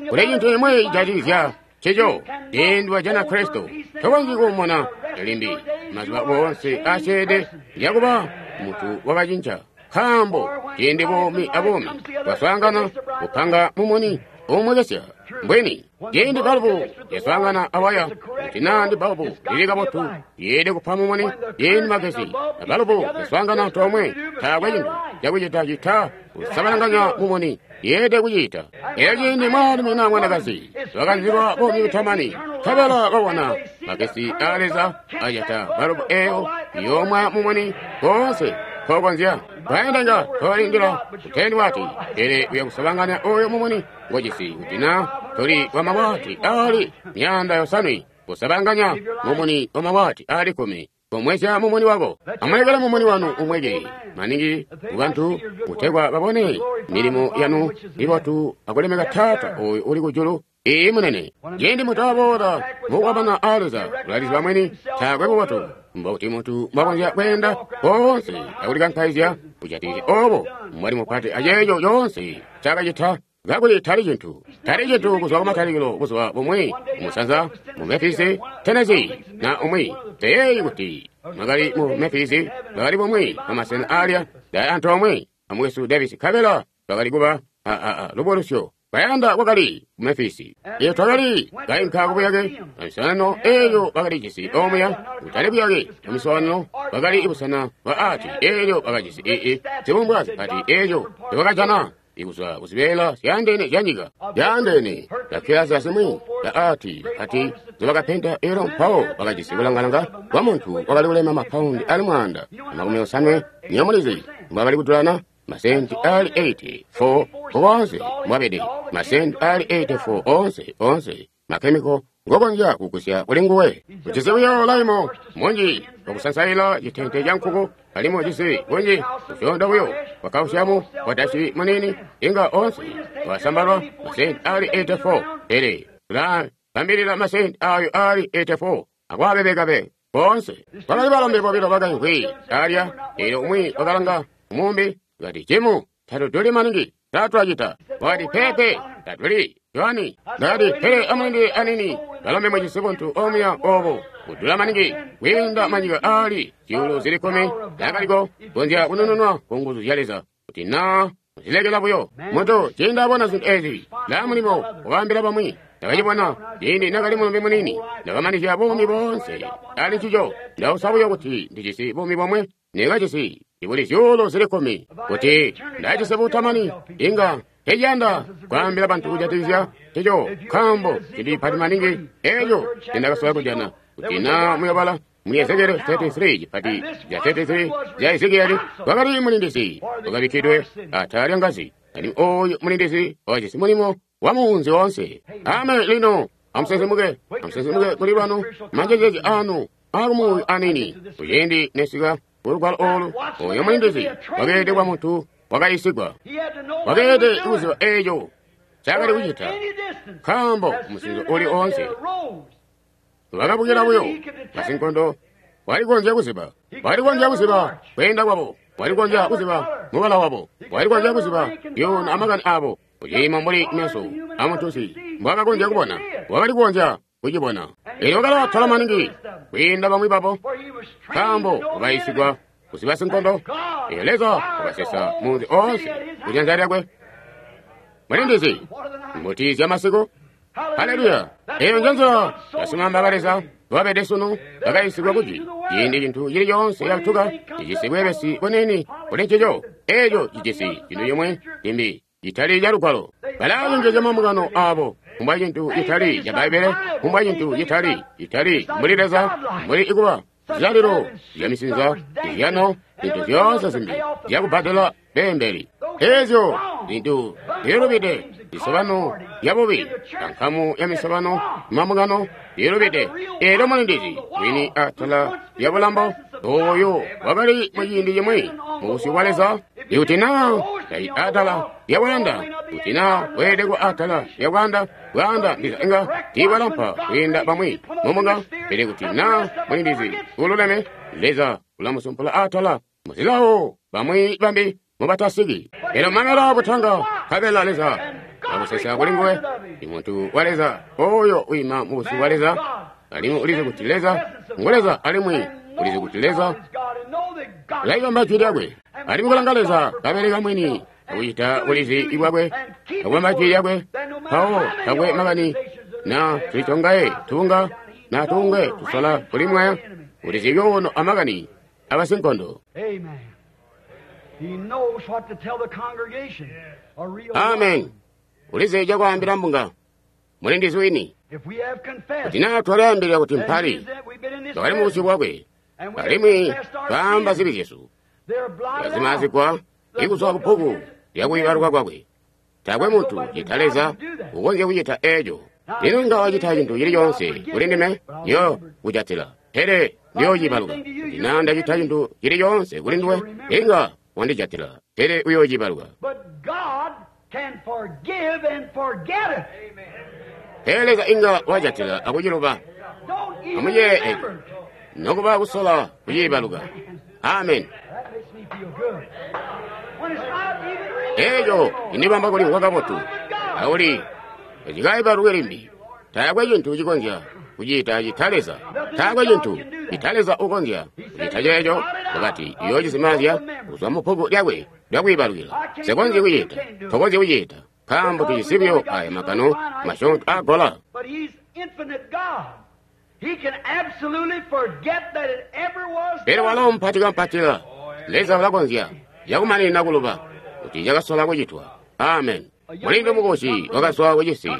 S1: Kuli cintu cimwi cijatikizya ncico, ciindi wajana Kristo, tokonzyi kuumona limbi. Mazuba oonse aasyeede ndiyakuba muntu wakacinca, nkaambo ciindi buumi abuumi bwaswaangana kupanga mumuni uumwekesya. Mbwini, ciindi balubu yaswaangana awaya, kuti naa ndi balubu lili kabotu, yeelede kupa mumuni. Ciindi magesi abalubu yaswaangana antoomwe, taakwe cintu cakucita cita kusabalanganya mumuni, yeelede kucita. Elyo ciindi mwaalumi naa mwanakazi bakanzilwa buumi butamani, nkabela babona magesi aa Leza ajata balubu eeyo, iyoomwa mumuni koonse nkokonzya. Baendanga tobalindila kutendi wati, pele uya kusabanganya oyo mumuni ngojisi kuti naa toli wa mawati aali 500 kusabanganya mumuni wa mawati aali 10. Komwesya mumuni wako. Amulekele mumuni wanu umweke maningi kubantu kutegwa babone milimo yanu mibotu akulemeka Taata oyo uli kujulu. Iiyi munene. Ciindi muntu aboola mukukwabana aa Leza, ulaliziba mwini taakwe bubotu. Mbokuti muntu mbwakonzya kweenda koonse akulikankaizya kujatikizya obo mbwali mupati aceeco coonse ncaakacita, kakuli tali cintu. Tali cintu kuzwa kumatalikilo buzuba bumwi kumusanza mu Memphis, Tennessee, na umwi. Nseyeeyi kuti mwakali mu Memphis, bakali bumwi bwamasena aalya, ndali antoomwe amukwesu Davis, nkabela bakali kuba a lubukulusyo. Bayanda kwakali ku Memphis. Elyo twakali kainka kubuyake bwa miswaanano eeyo bakali jisi omuya, kutali buyake bwa miswaanano, bakali busena bwa ati eelyo bakajisi ii zibumbwa zipati eelyo nzyobakajana kuzwa kuzibeela zyaandeene zyanyika zyaandeene, zakkilasi azimwi za ati ati nzyobakapenta. Elyo mpawo bakajisi kulangalanga kwa muntu wakali kulema mapaundi ali 180. Nywebo mulizi mbwakali kudulana, masenti ali 84 koonse mbwabede, masenti ali 84 onse, onse makhemiko ngokonzya kugusya kuli nguwe. Ujisi buyo laimo munji wakusansaila citente ca nkuku, alimwi ujisi bunji busyoonto buyo bwa kausiamu bwa muniini, inga onse wasambalwa masenti ali 84. Pele tulabambilila masenti ayo ali 84 akwaabebekabe boonse. Kwakali balombe bobilo bakaimvwi alya, eelyo umwi wakalanga mumbi kati, Jimu, tatuduli maningi, tatwacita. Wakati, pepe, tatuli, Joani. Ndakati, pele amulindile anini, balombe mujisi buntu omuya obo kudula maningi kwiinda manyika ali zyuulu zili kkumi ndakaliko konzya kunununwa ku nguzu zya Leza kuti naa zilekela buyo. Muntu ciindi abona zintu ezi laa mulimo wakaambila bamwi. Ndakacibona ciindi nakali mulombe muniini, ndakamanizya buumi boonse ali ncico. Ndausa buyo kuti ndijisi buumi bomwe nekajisi ibuli zyuulu zili kkumi kuti ndajisi butamani inga teciyanda kwaambila bantu kujatikizya ncico, nkaambo cintu cipati maningi eco cindakasola kujana. Kuti naa muyobala mu Ezekieli 33, cipati ca 33 ca Ezekieli, kwakali mulindizi wakabikkidwe atala lya ngazi, alimwi ooyu mulindizi wakajisi mulimo wa muunzi woonse. Ame lino amusensemuke, amusensemuke kuli lwanu manjezeezi anu akumuuyu anini. Kuciindi nesika kulugwalo olu, oyo mulindizi wakeelede kwa muntu wakayisigwa, wakeelede kuziba eco ncaakali kucita, nkaambo musinzo uli oonse wakabukila buyo basinkondo walikonzya kuziba, walikonzya kuziba kweenda kwabo, walikonzya kuziba mubala wabo, walikonzya kuziba yona amakani abo. Kuciimo mbuli meso amuntusi mbwakakonzya kubona, wakali kukonzya kucibona. Elyo wakalaatala maningi kwiinda bamwi babo, nkaambo wakayisigwa kuziba sinkondo. Elyo Leza wakasesa munzi oonse kujanza lyakwe. Mulindizi mbuti zya masiku. Haleluya! Eyo njenzila basimamba ba Leza babede sunu, bakayisigwa kuti ciindi cintu cili coonse catuka cijisi bweebesi buniini kuli ncico, eco cijisi cintu cimwe cimbi citali ca Lugwalo. Balacenjezya mambungano abo kumbwa cintu citali ca Bbaibbele, kumbwa cintu citali citali mbuli Leza, mbuli ikuba zilalilo zya misinza, izyano, zintu zyoonse zimbi zyakubbadela beembeli. Ezyo zintu zilubide, misobano yabubi, ankamu ya misobano mambungano zilubide. Elyo mulindizi wini atala lya bulambo oyo wakali muciindi cimwi mubusyu bwa Leza. Ikuti naa tali atala lya bwanda, kuti naa weelede kuba atala lya bwanda, bwanda ndiza inga tiibwalampa kwiinda bamwi mumbunga. Pele kuti naa mulindizi ululeme, Leza ulamusumpula atala muzilawo bamwi bambi mubatasiki. Elyo mamela butanga, nkabela Leza akusesa kuli nguwe. Imuntu wa Leza oyo uima mubusyu bwa Leza, alimwi ulizi kuti Leza ngu Leza, alimwi ulizi kuti Leza ulaibamba jwi lyakwe. Alimwi kulanga Leza kabeleka mwini akucita bulizi bwakwe akubamba jwi lyakwe, mpawo takwe makani na tulitongaye tunga na tungwe tusola kulimwaya, ulizi byoono amakani abasinkondo. Amen. Ulizi cakwaambila mbunga mulindizi wini. Kuti naa twalyaambilila kuti mpali twakali mubusyu bwakwe, alimwi twaamba zibi zyesu, twazimazigwa ikuzwa kubbuku lyakuibaluka kwakwe. Taakwe muntu cita Leza ukonzya kucita eco. Lino inga wacita cintu cili coonse kuli ndime, ndiyo kujatila, pele ndiyoocibaluka. Kuti naa ndacita cintu cili coonse kuli nduwe, inga wandijatila, pele uyoocibaluka. Pele Leza inga wajatila akuciluba. Amuyeeye eco, nokuba kusola kuciibaluka. Amen. Eco cindibamba kulimvwa kabotu, auli tacikaibaluke limbi. Taakwe cintu cikonzya kucita cita Leza. Taakwe cintu cita Leza ukonzya kucita ceeco. Wakati uyoocizimazya kuzwa mubbuku lyakwe lyakwiibalukila. Nsekonzyi kucita, tokonzyi kucita, nkaambo tujisi buyo aya magano masyoonto aagola. Pele walo mpati kampatila, Leza ulakonzya cakumaninina kuluba kuti cakasola kucitwa. Amen. Mulindu mukosi wakazwa kucisi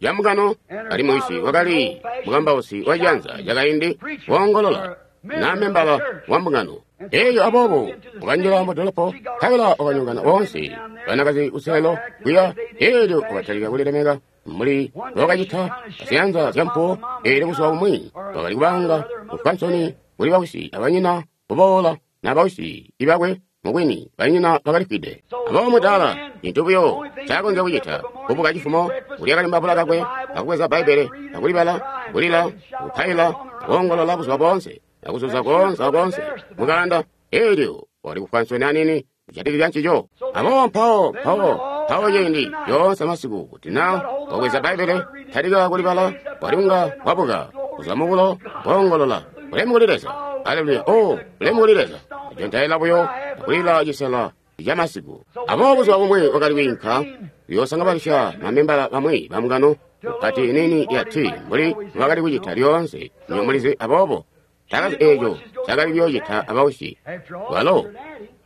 S1: camukano, alimwi wisi wakali mukambausi wa cianza cakaindi woongolola na membala wa mbungano eyo. Aboobo wakanjila mudolopo, nkabela wakanyongana woonse banakazi kuseelo kuya. Eelyo wakatalika kulilemeka mbuli mbokacita aziyanza zyampuwo. Eelyo buzuba bumwi wakali kubanga kufwa nsoni kuli bawisi abanyina kuboola na bawisi ibakwe mubwini banyina bakalifwide. Aboobo mudaala cintu buyo ncakonzya kucita kubuka cifumo, kulya kalimbabula kakwe, akubweza Bbaibbele, akulibala, kulila, kupaila, koongolola buzuba boonse, akuzuza koonse akoonse mukanda. Eelyo wakali kufwa nsoni anini kujatikizya ncico. Aboobo mpawo ciindi yoonse masiku kuti na wabweza Bbaibbele, talika kulibala, wali kunga wabuka kuzwa mubulo, koongolola, "Bulemu kuli Leza! Aleluya! Oh, bulemu kuli Leza!" Ajontaila buyo akulila cisela camasiku. Aboobo buzuba bumwi wakali kwiinka kuyoosangabalisya mamembala bamwi bamungano kupati inini ya tii mbuli mbubakali kucita lyoonse, nywebo mulizi. Aboobo takazi eeco cakali kuyoocita abawisi, balo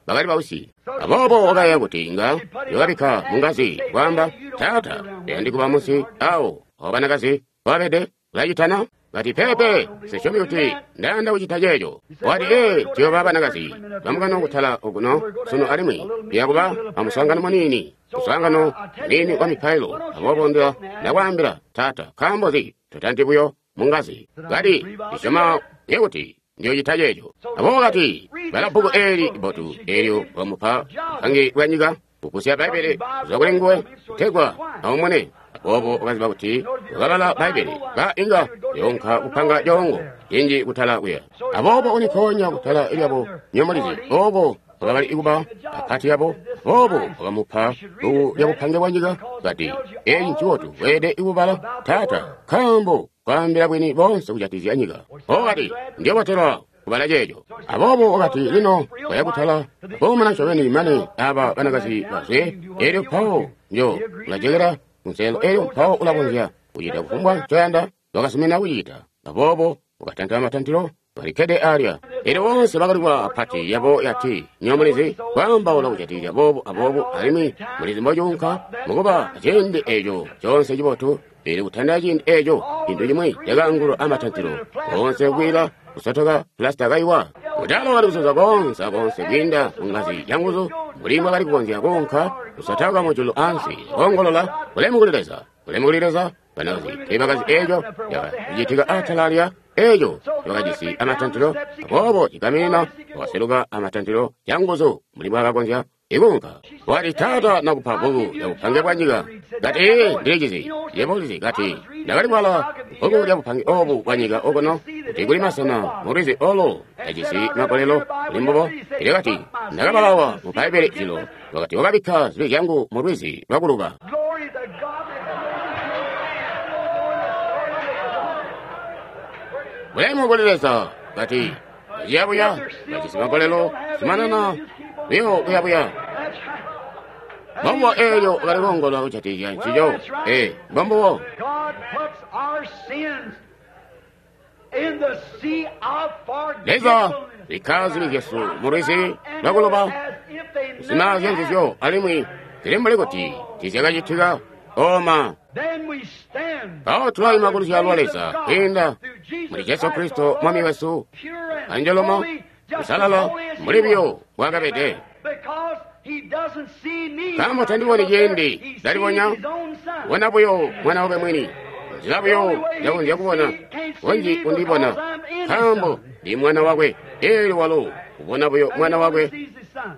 S1: bakali bawisi. Aboobo wakayeeya kuti inga yookabikka mungazi kwaamba, "Taata, tuyandi kuba munsi awo awo banakazi babede, ulacitana?" Kati, "Peepe, sisyomi kuti ndayanda kucita ceeco." Wati, "Ee, tuyooba banakazi bamukano kutala okuno sunu alimwi tuya kuba amuswaangano muniini, muswaangano muniini wa mipailo. Aboobo ndakwaambila, taata, nkaambo nzi totanti buyo mungazi?" Kati, "Ndisyoma kuti ndiyocita ceeco." Aboobo kati, "Bala bbuku eeli bbotu." Eelyo wamupa bupange bwa nyika kugusya Bbaibbele kuzwa kuli nguwe kutegwa aumune. Aboobo wakaziba kuti wakabala Bbaibbele ka inga yoonka kupanga coongo cinji kutala kuya. Aboobo ulikoonya kutala lyabo nyomulizi ooko wakabali kuba apati yabo. Aboobo wakamupa bbuku lya bupange bwa nyika. Kati, "Eeci ncibotu, weelede kubala, taata, nkaambo kwaambila bwini boonse kujatikizya nyika." Wakati, "Ndiyobotelwa kubala ceeco." Aboobo wakati, "Lino waya kutala koomana ncobeni mane aba banakazi bazwe, eelyo mpawo njo ulajokera kunselelo, eelyo mpawo ulakonzya kucita kufumbwa ncoyanda." Wakazumina kucita. Aboobo wakatanta matantilo, balikkede alya. Eelyo boonse bakali kuba apati yabo yati, nywebo mulizi, kwaambaula kujatikizya boobu aboobu, alimwi mulizi mbocuunka mukuba aciindi eeco coonse cibotu. Pele kutandila ciindi eeco, cintu cimwi cakaangulwa amatantilo, boonse kwiila kusotoka pulasita kaiwa. Mudaala wakali kuzuza koonse akoonse kwiinda mungazi yanguzu mbuli mbwakali kukonzya kuunka, kusotoka mujulu ansi, koongolola, "Bulemu kuli Leza! Bulemu kuli Leza!" Banakazi teebakazi eeco cakacitika atala alya, eeco bakajisi amatantilo. Aboobo cigaminina wakaseluka amatantilo canguzu mbuli mbwaakakonzya ikuunka. Wati, "Taata, nakupa bbuku lya bupange bwa nyika." Kati, "Ee, ndilicizi. Yebo ulizi." Kati, "Ndakali kubala bbuku lya bupange obu bwa nyika okuno, kuti kuli masena mulwizi olo tajisi magolelo kuli mbubo. Pele kati, ndakabalawa mu Bbaibbele jilo, wakati wakabikka zibi zyangu mu lwizi lwakuluba." Bulemu kuli Leza! Kati, "Buya-buya, bajisi magolelo, zumanana buyo buya-buya." Mbombo eelyo wakali koongolola kujatikizya ncico. Ee, mbombubo. Leza bikka zibi zyesu mu lwizi lwakuluba, kuzimaazya nzizyo, alimwi zili mbuli kuti tiizyakacitika. Oma mpawo tulaima kuluzyalo lwa Leza kwiinda muli Jesu Kristo Mwami wesu, anjolomo kusalala mbuli buyo bwakabede. Nkaambo tandiboni ciindi ndalibonya, kubona buyo mwana wakwe mwini, nzila buyo njakonzya kubona kunji kundibona, nkaambo ndi mwana wakwe. Eelyo walo kubona buyo mwana wakwe.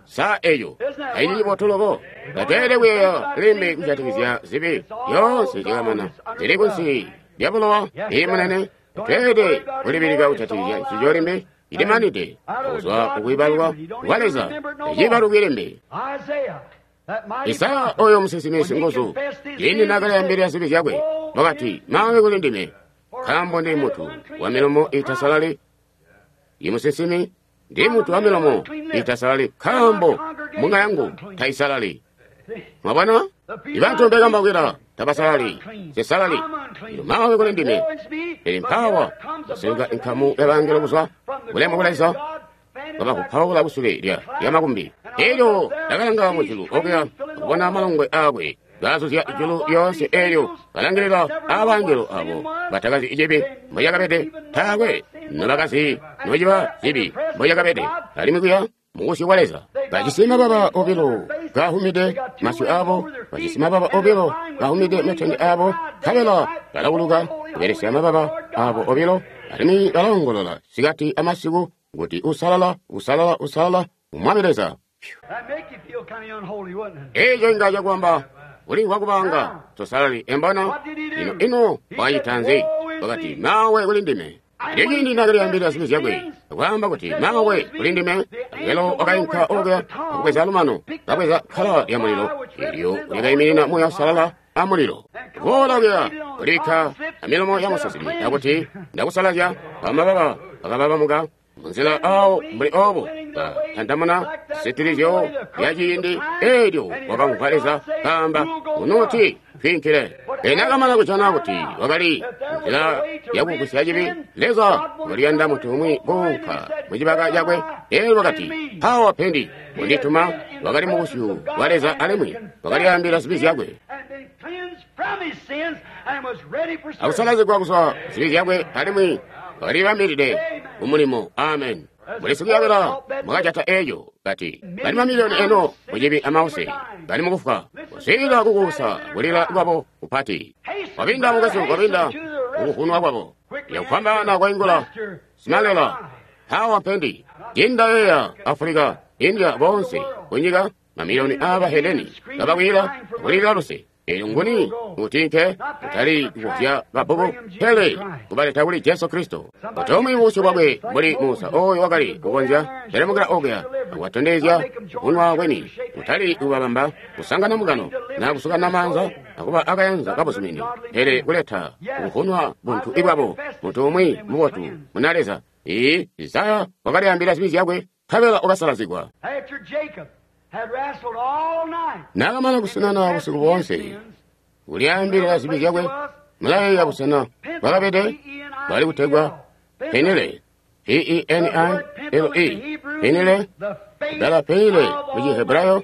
S1: Sa eco taili cibotu loko? Tatweelede kuyeeya limbi kujatikizya zibi, zyoonse zyakamana, zili kunsi lya bulowa. Ii munene, tatweelede kulibilika kujatikizya ncico limbi, ilimanide kuzwa kukwiibalwa kwa Leza, teciibalukwi limbi. Isaya oyo musinsimi singuzu, ciindi naakalyambilila zibi zyakwe, wakati, "Maawe kuli ndime, nkaambo ndi muntu wa milomo iitasalali." Imusinsimi, ndi muntu wa milomo iitasalali, nkaambo mbunga yangu taisalali. Mwabona? Ibantu mbekambawukila tabasalali, sisalali. Lino maawe kuli ndime. Pele mpaawa kwaseluka inkamu yabangelo kuzwa bulemu bwa Leza, wabakupaula kusule lya makumbi. Eelyo ndakalanga mujulu okuya akubona malongwe aakwe kaazuzya ijulu lyoonse. Eelyo kalangilila aabangelo abo batakazi cibi mbocakabede, taakwe nobakazi nociba cibi mbocakabede, alimwi kuya mubusyu bwa Leza bajisi mababa obilo kaahumide masyu abo, bajisi mababa obilo kaahumide matende abo, nkabela balawuluka kubelesya mababa abo obilo, alimwi balaongolola sikati amasiku kuti usalala, usalala, usalala, Mwami Leza. Eeco inga cakwamba ulimvwa kubanga tosalali embona. Ino ino wakacita nzi? Wakati, mawe kuli ndime. Elyo ciindi nakalyaambilila zibi zyakwe, akwaamba kuti mawe kuli ndime, angelo wakainka okuya akubweza lumano, kabweza kkala lya mulilo, elyo lyakaiminina Muuya Uusalala a mulilo. Boola kuya kulibikka amilomo ya musinsimi, akuti ndakusalazya amababa akababamuka munzila awo mbuli obo batandamuna sitilizyo ya ciindi elyo wakamvwa Leza kaamba unuti twiinkile. Enakamana kujana kuti wakali nzila yakugusya cibi, Leza wakaliyanda muntu umwi kuunka mucibaka cakwe. Elyo wakati mpawa pendi kundituma. Wakali mubusyu bwa Leza alimwi wakalyaambila zibi zyakwe, akusalazigwa kuzwa zibi zyakwe, alimwi wakalibambilide kumulimo. Amen. Mulisikuyabila mwakajata eeyo kati bali mamiliyoni eno mucibi amause bali mukufwa kuswiilila kukuusa kulila kwabo kupati. Wabinda mukwesu, wabinda kukuvunwa kwabo yakufwambaana kwaingula simalela hawa mpendi inda yeya Afulika, India, bonse kunyika mamiliyoni aba Heleni babakwila kulilila luse. Elyo nguni utinke kutali kuvya babubu pele kubaleta kuli Jesu Kristo. Utomwi busyu bwakwe mbuli Musa oyo wakali kukonzya telemukila okuya akubatondezya kunwa kweni, kutali kubabamba kusangana mukano na kusukana maanza akuba akayanza kabuzumini, pele kuleta kuvunwa buntu ibwabo muntu umwi mubotu muna Leza. Ee, Isaya wakalyaambila zibi zyakwe nkabela wakasalazigwa. Naakamana kusinana busiku boonse kulyaambilila zibi zyakwe, mulayeeya busena bwakabede bwali kutegwa Penile, P-E-N-I-L-E, Penile. Bbala Penile mu Chihebrayo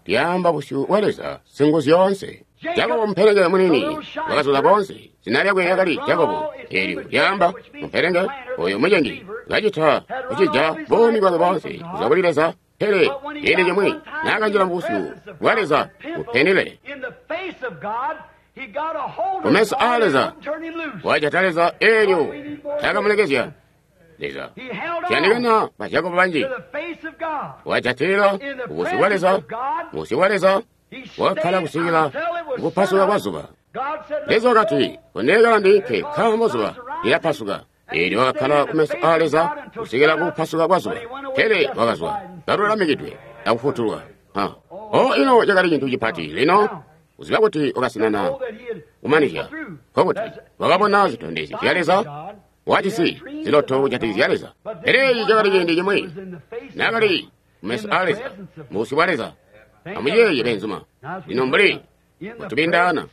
S1: lyaamba busyu bwa Leza Singuzyoonse. Jakobo mupelenge munini wakazula boonse, zina lyakwe lyakali Jakobo, eelyo lyaamba mupelenge oyo mucengi kacita kucija buumi bwakwe boonse kuzwa kuli Leza. Pele ciindi cimwi naakanjila mubusyu bwa Leza kupenile, kumeso aa Leza wajata Leza, eelyo taakamulekezya Leza. Ciyandikana ba Jakobo banji wajatilila kubusyu bwa Leza, mubusyu bwa Leza wakakkala kusikila kupasuka kwa zuba. Leza wakati, kundekela ndiinke nkaambo zuba lilapasuka. Eelyo wakakkala kumeso aa Leza kusikila kupasuka kwa zuba, pele wakazwa kalulamikidwe akufutulwa. O ino cakali cintu cipati lino kuziba kuti wakasinana kumanizya, nkokuti wakabona zitondezyo zya Leza, wajisi ziloto kujatikizya Leza. Pele eeci cakali ciindi cimwi naakali kumeso aa Leza, mubusyu bwa Leza. Amuyeeye beenzuma, lino mbuli mutubindaana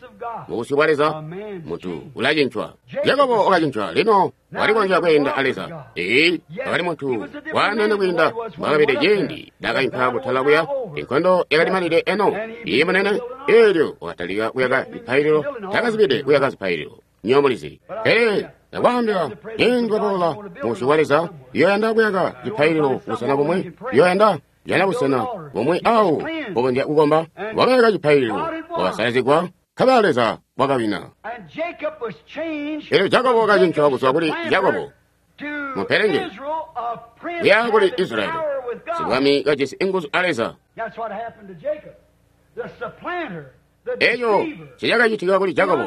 S1: mubusyu bwa Leza, muntu ulacincwa. Jakobo wakacincwa, lino walikonzya kweenda a Leza. Ee, wakali muntu waanene kwiinda mbwakabede ciindi naakainka kutala kuya. Inkondo yakalimanide eno, iye munene. Eelyo wakatalika kuyaka zipaililo, takazibide kuyaka zipaililo, nyomulizi. Pele ndakwaambila, ciindi waboola mubusyu bwa Leza, yoyanda kuyaka cipaililo busena bumwi, yoyanda jana busena bumwi awo bukonzya kukomba. Wakayaka cipaililo, wakasalazigwa, nkabela Leza wakawina. Elyo Jakobo wakacincwa kuzwa kuli Jakobo mupelenge kuya kuli Israeli, sibwami kajisi inguzu a Leza. Eco cicakacitika kuli Jakobo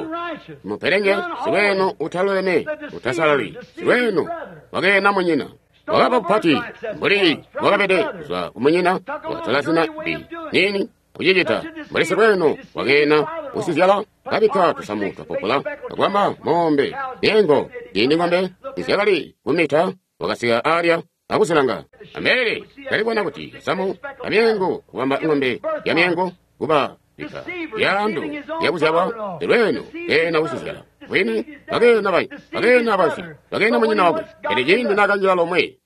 S1: mupelenge, siweno utaluleme, utasalali, siweno wakeena munyina. Wakaba kupati mbuli wakabede kuzwa kumunyina, wakatola zina bi nini kucicita mbuli siweno wakeena usizyala, kabikka tusamu twapopula akwamba mombe yengo ciindi ng'ombe izyakali kumita wakasika alya akusilanga. Ambele kalibona kuti kasamu kamyengo kubamba ng'ombe ya myengo kuba bika lyandu lyakuzyalwa silweno keena usizyala bwini bakeena bayi bakeena basi bakeena munyina wakwe. Pele ciindi naakanjila lomwe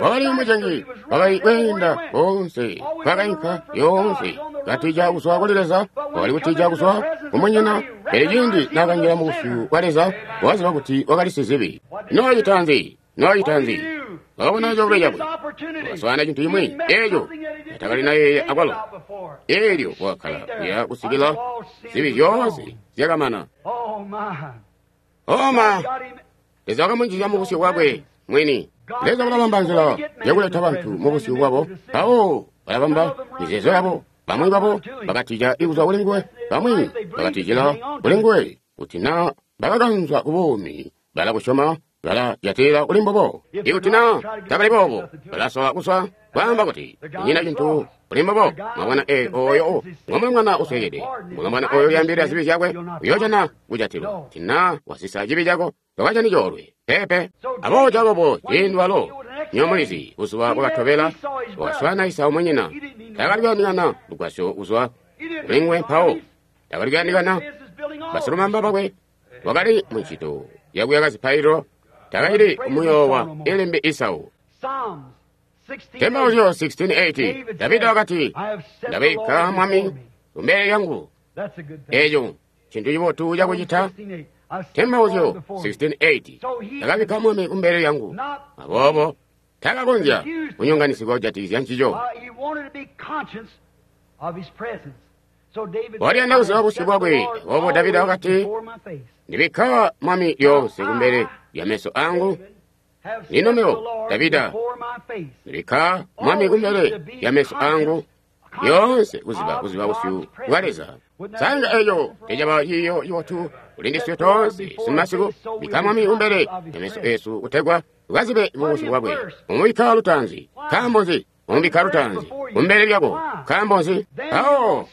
S1: wakali mucengi, wakali kweenda koonse kwakainka yoonse katija kuzwa kuli Leza, wakali kutija kuzwa kumunyina. Pele ciindi naakanjila mubusyu bwa Leza, wakaziba kuti wakali sizibi. Noocita nzi? Noocita nzi? Wakabona coolwe cakwe, wakaswaana cintu cimwi eeco atakali nayeeya akwalo. Elyo wakakkala kuya kusikila zibi zyoonse zyakamana. Oma, Leza wakamunjizya mubusyu bwakwe mwini. Leza ulabamba nzila yakuleta bantu mubusyu bwabo, mpawo balabamba mizeezo yabo. Bamwi babo bakatija kuzwa kuli nguwe, bamwi bakatijila kuli nguwe. Kuti na bakakanzwa ku buumi, balakusyoma, balajatilila kuli mbubo. Ikuti na tabali boobo, balasola kuswa, kwaamba kuti kunyina cintu kuli mbubo. Mwabona, oyo ngomulumwana uswekede, mulumwana oyo uyambilila zibi zyakwe uyoojana kujatilwa. Kuti na wasisa cibi cako, tokajani coolwe. Peepe. Aboobo Jakobo ciindi walo nyomulizi buzuba bwakatobela wakaswaana Esau munyina. Taakali kuyandikana lugwasyo kuzwa kuli nguwe mpawo. Taakali kuyandikana basilumamba bakwe. Wakali muncito yakuyaka zipaililo. Taakali kumuyoowa ilimbi Esau. Tembauzyo 16:8 Davida wakati, ndabikka mwami kumbele lyangu. Eeco ncintu cibotu cakucita. Tembauzyo 16:8 ndakabikka mwami kumbele lyangu. Aboobo takakonzya kunyonganisigwa kujatikizya ncico. Waliyanda kuziba busyu bwakwe. Aboobo Davida wakati, ndibikka mwami lyoonse kumbele lya meso angu. Lino mebo Davida ndibikka mwami kumbele lya meso angu lyoonse kuziba busyu bwa Leza. Sanga eco tecaba ciiyo cibotu kuli ndiswe toonse simasiku. Bikka mwami kumbele lya meso esu kutegwa tukazibe mubusyu bwakwe. Umubikka lutaanzi. Nkaambo nzi? Umubikka lutaanzi kumbele lyako. Nkaambo nzi? Mpawo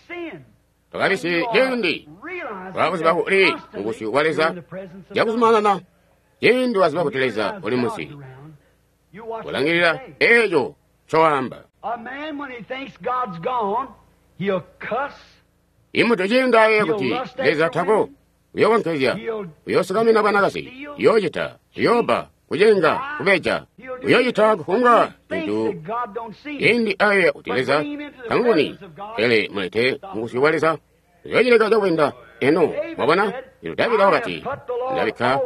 S1: tokabisi ciindi wakuziba uli mubusyu bwa Leza cakuzumanana. Ciindi waziba kuti Leza uli munsi, kulangilila eeco ncowaamba. Imuntu ciindi ayeeya kuti Leza tako, uyokonkezya, uyoosukamina bwanakazi, uyoocita, uyoobba, kucenga, kubeja, uyoocita kufumbwa cintu. Ciindi ayeeya kuti Leza tamuboni, pele mulete mubusyu bwa Leza, uyoocileka cakwenda. Eno mwabona, lino Davida wakati, ndabikka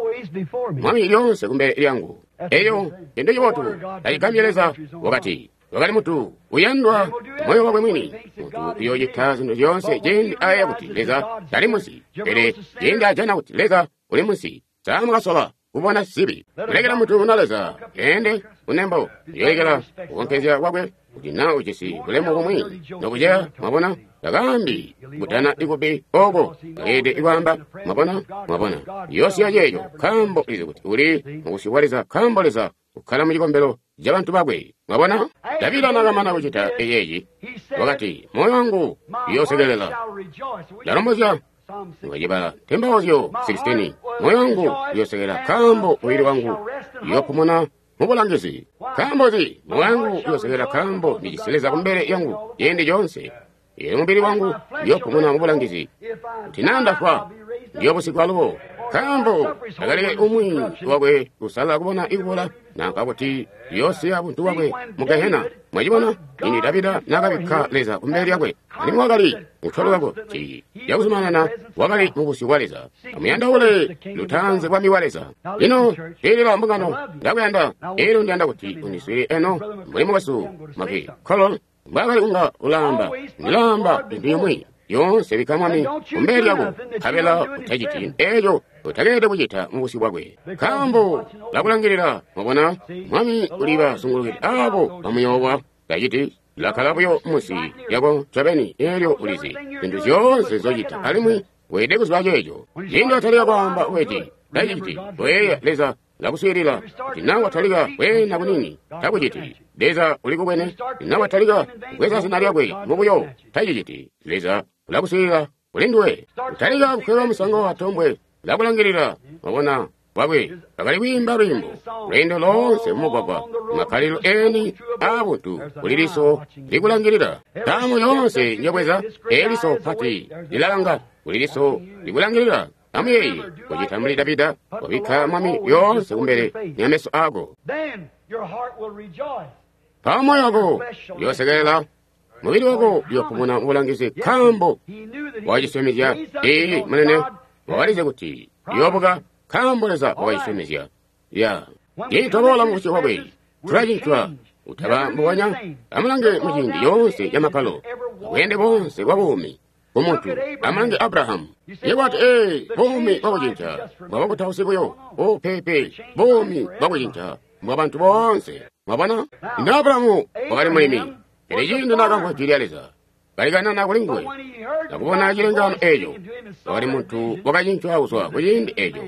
S1: mwami lyoonse kumbele lyangu. Eyo cintu cibotu tacigambye Leza wakati, wakali muntu uyandwa moyo wakwe mwini, muntu uyoocita zintu zyoonse ciindi ayeeya kuti Leza tali munsi. Pele ciindi ajana kuti Leza uli munsi, samukasola kubona zibi. Kulekela muntu na Leza ende kunembo, uyoolekela kukonkezya kwakwe kuti na ujisi bulemu bumwi nokuceya. Mwabona, takaambi kutana ikubi oko akeede ikwaamba. Mwabona, mwabona, yoosiya ceeco nkaambo ulizi kuti uli mubusyu bwa Leza, nkaambo Leza ukkala mucikombelo cabantu bakwe. Mwabona, Davida nakamana kucita eyeeci wakati, moyo wangu uyoosekelela, ndalombozya ngacibala Tembauzyo 16, moyo wangu uyoosekelela nkaambo mubili wangu uyoopumuna mubulangizi. Nkaambo nzi? Moyo wangu uyoosekelela nkaambo ndijisi Leza kumbele yangu ciindi coonse. Eelyo mubili wangu uyoopumuna mubulangizi. Kuti naa ndafwa, ndiyoobusigwa alubo. Nkaambo takaleke umwi wakwe kusala kubona ikubola, nanka kuti uyoosiya buntu bwakwe mu Gehena. Mwacibona, ciindi Davida naakabikka Leza kumbele lyakwe, alimwi wakali mutolo wako ti yakuzumanana, wakali mubusyu bwa Leza. Amuyandaule lutanze bwami bwa Leza. Lino swiilila mbungano, ndakuyanda. Eelyo ndiyanda kuti undiswiilile eno mbuli mukwesu Maki Kolol mbwaakali kunga ulaamba. Ndilaamba cintu cimwi yoonse bikka mwami kumbele lyako, nkabela utaciti eeco utakeelede kucita mubusyu bwakwe, nkaambo lakulangilila. Mwabona, mwami ulibasungulukide aabo bamuyoowa. Taciti lakkala buyo munsi lyako ncobeni. Eelyo ulizi zintu zyoonse nzocita, alimwi weelede kuziba ceeco. Ciindi watalika kwaamba weti taciti, koyeeya Leza lakuswiilila. Kuti naa watalika kweena kunini, takuciti. Leza ulikubwene. Kuti naa watalika kubweza zina lyakwe mubuyo, taciciti. Leza ulakuswiilila kuli nduwe. Kutalika kukweba musango wa tombwe, ulakulangilila. Mwabona, bwakwe bakali kwiimba lwiimbo lweendo loonse mumugwagwa, makkalilo eni aabuntu kuli liso likulangilila. Ntaamu yoonse njobweza, eliso pati lilalanga, kuli liso likulangilila. Amuyeeye kucita mbuli Davida, wabikka mwami lyoonse kumbele lya meso aako. Mpawo moyo wako uyoosekelela, mubili wako uyoopumuna mubulangizi, nkaambo wakacisyomezya. Ee, munene, wakalizi kuti uyoobuka, nkaambo Leza wakacisyomezya. Ya ciindi twaboola mubusyu bwakwe, tulacincwa. Utaba mbubonya. Amulange muciindi yoonse ya makkalo, bweende boonse bwa buumi ku muntu. Amulange Abrahamu. Yebo wati, ee, buumi bwakucinca bwa bakutausi buyo. O, pepe, buumi bwakucinca bwa bantu boonse. Mwabona? Ino Abrahamu wakali mulimi. Pele ciindi naakamvwa jwi lya Leza, kalikanana kuli nguwe, nakubona cilengaano eeco, wakali muntu wakacincwa kuzwa kuciindi eeco.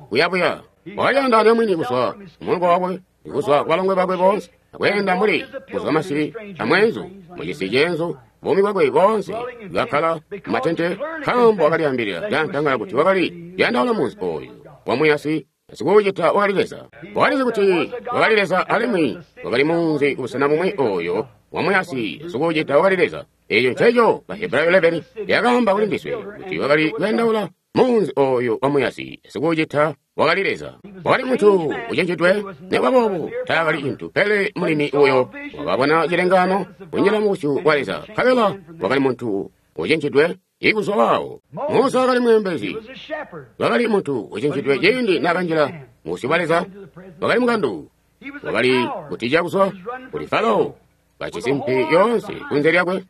S1: Kuyabuya, wakalyaandaanya mwini kuzwa kumulongo wakwe, kuzwa kubalongwe bakwe boonse, akweenda mbuli kuzwa masibi amweenzu, mucisi ceenzu, buumi bwakwe boonse bwakkala mumatente, nkaambo wakalyaambilila lyantangala kuti wakali yandaula munzi ooyu wamuyasi, sikuucita wakali Leza. Wakalizi kuti wakali Leza alimwi wakali munzi kubusena bumwi ooyo wamuyasi, sikuucita wakali Leza. Eeco nceco Bahebrayo 11 lyakaamba kuli ndiswe kuti wakali kuyandaula munzi ooyo wamuyasi, sikuucita wakali Leza. Wakali muntu ucenjidwe, nikuba boobo taakali cintu pele mulimi uyo wakabona cilengaano kunjila mubusyu bwa Leza. Nkabela wakali muntu ucenjidwe ikuzwa waawo. Musa wakali mweembezi, wakali muntu ucenjidwe ciindi naakanjila mubusyu bwa Leza. Wakali mukandu, wakali kutija kuzwa kuli Farao kajisi mpi yoonse kunze lyakwe,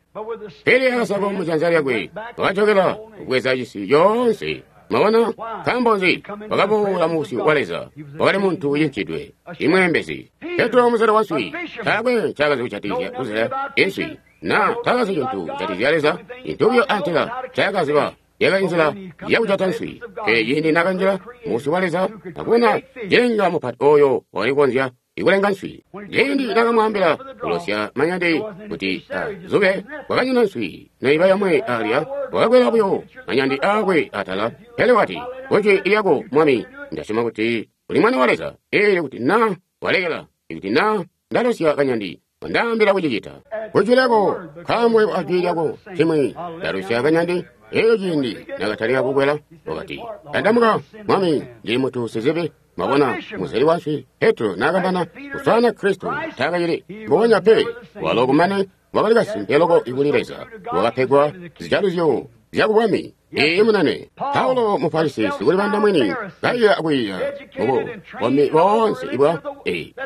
S1: pele akasako mujanza lyakwe wakajokela kubweza cisi yoonse. Mwabona, nkaambo nzi? Wakaboola mubusyu bwa Leza. Wakali muntu ucincidwe, imweembezi. Petro muzelo wa nswi, taakwe ncaakazi kujatikizya kuzela inswi, na taakazi cintu kujatikizya Leza. Cintu buyo antela ncaakaziba yakali nzila yakujata nswi. Pele ciindi naakanjila mubusyu bwa Leza, akubona cilenga mupati ooyo wakali kukonzya ikulenga nswi. Ciindi naakamwaambila kulosya manyandi kuti azube, kwakanyina nswi neiba yomwe alya, wakakwela buyo manyandi aakwe atala. Pele wati, kujwi lyako Mwami, ndasyoma kuti uli Mwana wa Leza. Eelyo kuti na walekela, ikuti na ndalosya kanyandi, wandaambila kucicita. Kujwi lyako, nkaambo yebo ajwi lyako cimwi, ndalosya kanyandi. Eelyo ciindi nakatalika kukwela, wakati, tandamuka Mwami, ndili muntu sizibi. Mwabona, muzeli wa nswi Petro naakamana kuswaana Kristo taakacili mbubonya pe. Walo kumane wakali kasimpe loko kuli Leza, wakapegwa zijaluzyo zyakubwami. Iiyi munene. Paulo Mufarisi sikulibanda mwini kaiya akwiiya mubukombi boonse ibwa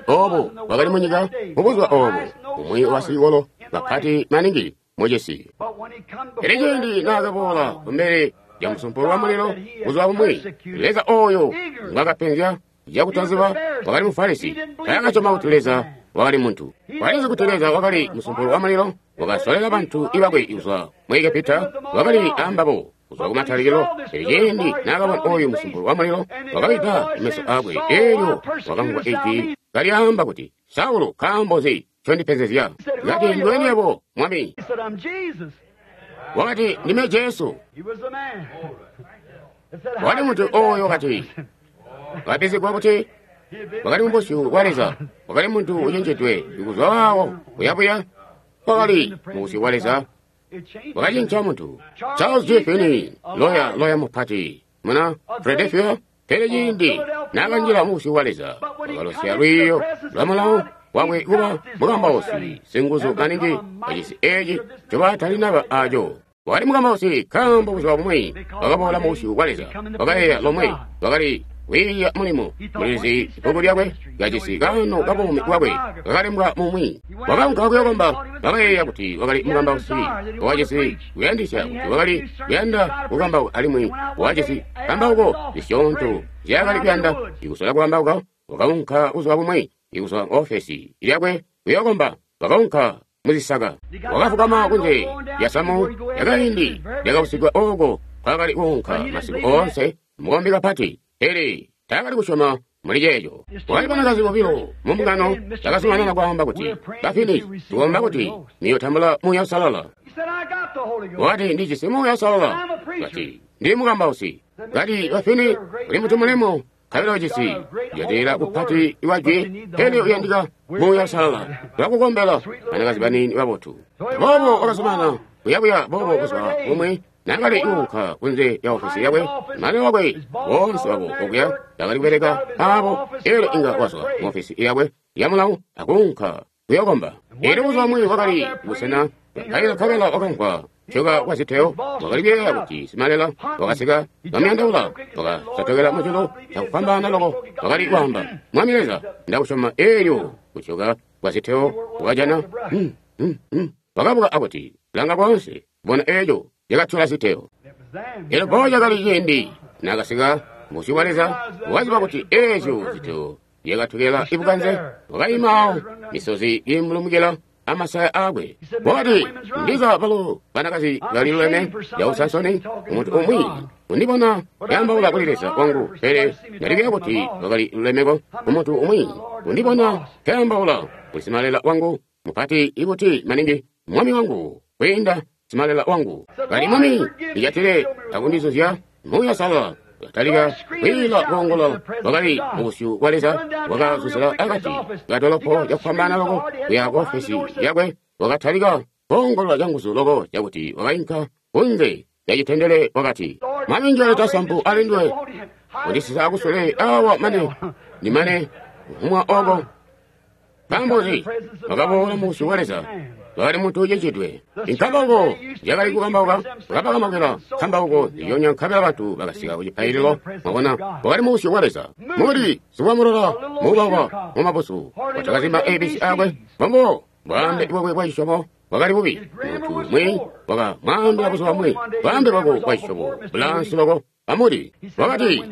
S1: oobo bwakali munyika mubuzuba oobo, umwi wa basicikolo bapati maningi mucisi. Pele ciindi naakaboola kumbele lya musumpulo wa mulilo buzuba bumwi, Leza ooyo ngwakapenzya cakutaziba wakali Mufarisi. Taakasyoma kuti Leza wakali muntu. Wakalizi kuti Leza wakali musumpulo wa mulilo, wakasolela bantu ibakwe kuzwa mu Egepita, wakali ambabo kuzwa kumatalikilo. Pele ciindi naakabona ooyu musumpulo wa mulilo, wakawida meso aakwe, eelyo wakamvwa ijwi kalyaamba kuti, Saulo, nkaambo nzi ncondipenzezya? Kati, ndiwe yebo, Mwami. Wakati, ndime Jesu. Wakali muntu ooyo wakati, wakapenzegwa kuti wakali mubusyu bwa Leza, wakali muntu ucenjedwe kuzwa waawo kuyabuya, wakali mubusyu bwa Leza, wakacinca muntu. Charles J. Finney, loya mupati muna Philadelphia, pele ciindi naakanjila mubusyu bwa Leza, wakalosya lwiiyo lwa mulawo wakwe kuba mukambausi singuzu maningi pacisi eeci ncobaatalinaba aco. Wakali mukambausi nkaambo buzuba bumwi wakaboola mubusyu bwa Leza, wakayeeya lomwe, wakali kwiiya mulimo mulizi bbuku lyakwe kajisi kaano kabuumi bwakwe kakalembwa mumwi. Wakaunka kuyokomba, wakayeeya kuti wakali mukambausi, wakajisi kuyandisya kuti wakali kuyanda kukambauka alimwi wakajisi kambauko zisyoonto nzyaakali kuyanda ikusola kukambauka. Wakaunka buzuba bumwi ikuzwa ofesi lyakwe kuyokomba, wakaunka muzisaka, wakafukama kunze lya samu lyakaindi lyakabusigwa ooko kwakali kuunka masiku oonse, mukombi kapati. Pele taakali kusyoma muli ceeco. Wakali banakazi bobilo mu mbungano bakazumanana kwaamba kuti, Bafini, tukomba kuti niyotambula Muuya Uusalala. Wakati, ndijisi Muuya Uusalala. Kati, ndili mukambausi. Kati, Bafini, uli muntu mulemu, nkabela ujisi kujatilila kupati iwajwi, pele uyandika Muuya Uusalala. Tulakukombela, banakazi baniini babotu. Boobo wakazumanana kuyabuya boobo buzuba bumwi naakali kuunka kunze lya ofesi yakwe, mane wakwe boonse babo okuya bakali kubeleka aabo, eelyo inga wazwa mu ofesi yakwe ya mulawo akuunka kuyokomba. Eelyo buzuba bumwi wakali busena bwapaila nkabela wakamvwa kutyoka kwa ziteyo. Wakali kuyeeya kuti simalela wakasika kamyandaula, wakasotokela mujulu cakufwambaana loko. Wakali kwaamba, Mwami Leza, ndakusyoma. Eelyo kutyoka kwa ziteyo wakajana wakabuka akuti, langa koonse, bona eeco cakatyola ziteyo. Elyo mpawo cakali ciindi nakasika busyu bwa Leza, wakaziba kuti eezyo ziteyo zyakatokela ibukanze. Wakaima awo, misozi imulumukila amasaya aakwe. Wakati, ndiza balo banakazi baliluleme causansoni, umuntu umwi undibona yaambaula kuli Leza wangu, pele ndalikuya kuti wakali lulemeko. Umuntu umwi undibona kaambaula kuli simalela wangu mupati ikuti maningi, mwami wangu kwiinda simalela wangu. Kali mwami ijatile akundizuzya Muuya Uusalala. Katalika kwiila koongolola. Wakali mubusyu bwa Leza. Wakazuzila akati kadolopo cakufwambaana loko kuya ku ofesi yakwe. Wakatalika koongolola canguzu loko cakuti wakainka kunze yacitendele. Wakati, Mwami njoleta sampu alindwe kundisisa kusule awa mane ndimane kuhumwa oko. Nkaambo nzi? Wakaboola mubusyu bwa Leza. Wakali muntu ucicidwe. Inkambauko yakali kukambauka, wakabakambaukila nkambauko nzilyonya, nkabela bantu bakasika kucipaililo. Mwabona, wakali mubusyu bwa Leza. Muli siwamulola muubauba mumabusu, watakazimba ABC akwe. Mbombo bwaambe bwakwe bwa cisyomo bwakali bubi. Muntu umwi wakamwaambila buzuba bumwi, bwaambe bwako bwa cisyomo bulaansi loko. Amuli wakati,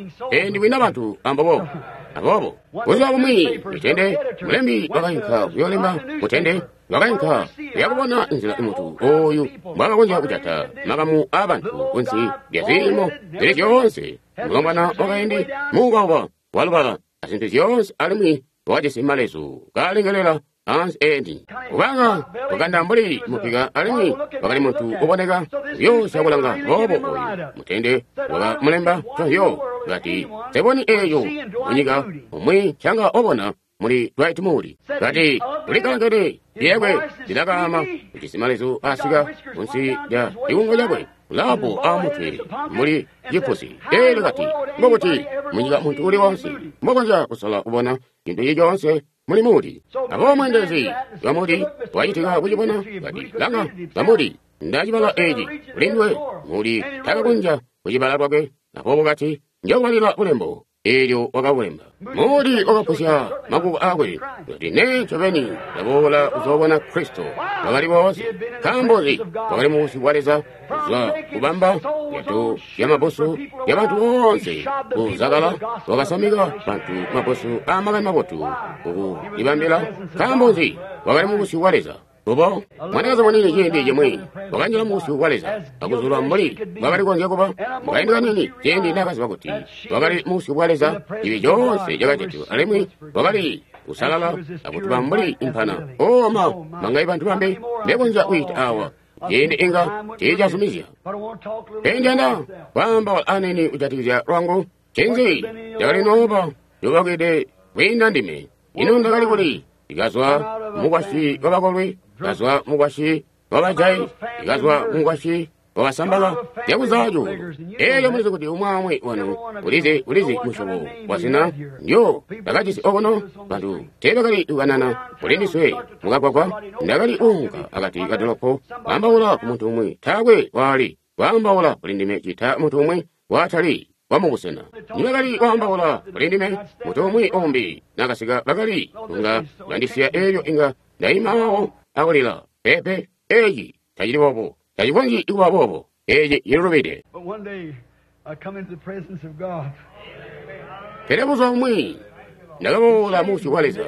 S1: ndiwina bantu ambobo. Aboobo buzuba bumwi mutende mulembi wakainka kuyoolemba. Mutende wakainka kuyakubona nzila muntu ooyu mbwaakakonzya kujata makamu aabantu kunsi lya ziimo zili zyoonse. Mulombwana wakaindi muubauba walubala azintu zyoonse, alimwi wakajisi malezu kaalengelela ansi eeni, kubanga wakanda mbuli mupika, alimwi wakali muntu uboneka kuyoosya kulanga. Boobo oyu mutende wakamulemba cozyo, kati, seboni eeyo munyika umwi ncanga obona muli Dwight Moody. Kati, ulikalangene lyekwe lilakaama, ujisi malezu asika kunsi lya cikungo cakwe, ulapo amutwe muli cipusi. Eelyo kati, ngokuti munyika muntu uli wonse mbokonzya kusola kubona cintu cili coonse muli Moody. Aboobo mweendelezi wa Moody wacitika kucibona, kati, langa, ba Moody, ndacibala eeci kulindwe. Moody takakonzya kucibala lwakwe. Aboobo kati, njokubalila bulembo. Eelyo wakabulemba. Moody wakapusya makuko aakwe, kuti, nee ncobeni ndaboola kuzoobona Kristo. Wakali boonse. Nkaambo nzi? Wakali mubusyu bwa Leza, kuzwa kubamba zyato zyamabusu zyabantu boonse kuzakala. Wakasamika bantu mabusu aamakani mabotu kukulibambila. Nkaambo nzi? Wakali mubusyu bwa Leza. Kubo mwanakazi muniini ciindi cimwi wakanjila mubusyu bwa Leza akuzulwa mbuli bwakali konzya kuba. Mukaindi kaniini ciindi naakaziba kuti wakali mubusyu bwa Leza, cibi coonse cakajatilwa, alimwi wakali kusalala akutuba mbuli impana. Oma mangai bantu bambi mbekonzya kwiita awa ciindi inga tiicazumizya. Pele ndiyanda kwaamba aniini kujatikizya lwangu. Ncinzi cakali nooba yobakide kwiinda ndime? Ino ndakali kuli? Ndikazwa mukwasyi wabakolwi, ndikazwa mukwasyi wabajayi, ndikazwa mukwasyi wabasambala zyakuzacu. Eelyo mulizi kuti umwi wanu ulizi musyobo wazina ndyo ndakajisi okuno. Bantu teebakali kukanana kulindiswe mukagwagwa. Ndakali kuunka akati kadolopo kwaambaula ku muntu umwi, taakwe waali kwaambaula kulindime cita muntu umwi waatali wamubusena. Nibakali kwaambaula kulindime, muntu umwi umbi nakasika bakali kunga bandisiya. Eelyo inga ndaima awo akulila, peepe, eeci tacili boobo, tacikonzyi kuba boobo, eeci cililubide. Pele buzuba bumwi ndakaboola mubusyu bwa Leza,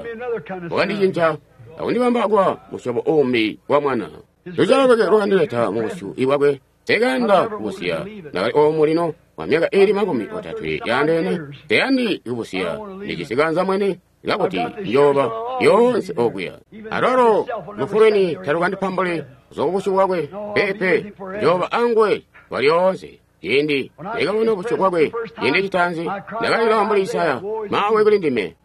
S1: wakandicinca akundibamba kuba musyobo uumbi wa mwana. Luzyalo lwakwe lwakandileta mubusyu bwakwe. Nsekayanda kubusiya. Ndakali oomu lino kwa myaka iili 30 yaandeene. Nseyandi kubusiya. Ndijisi kanza mwene kakuti njooba lyoonse okuya. Alwalo lufu lweni talukandipambuli kuzwa kubusyu bwakwe. Peepe, njooba anguwe kwa lyoonse. Ciindi ndakabona busyu bwakwe ciindi citaanzi, ndakalila mbuli Isaya, maawe kuli ndime.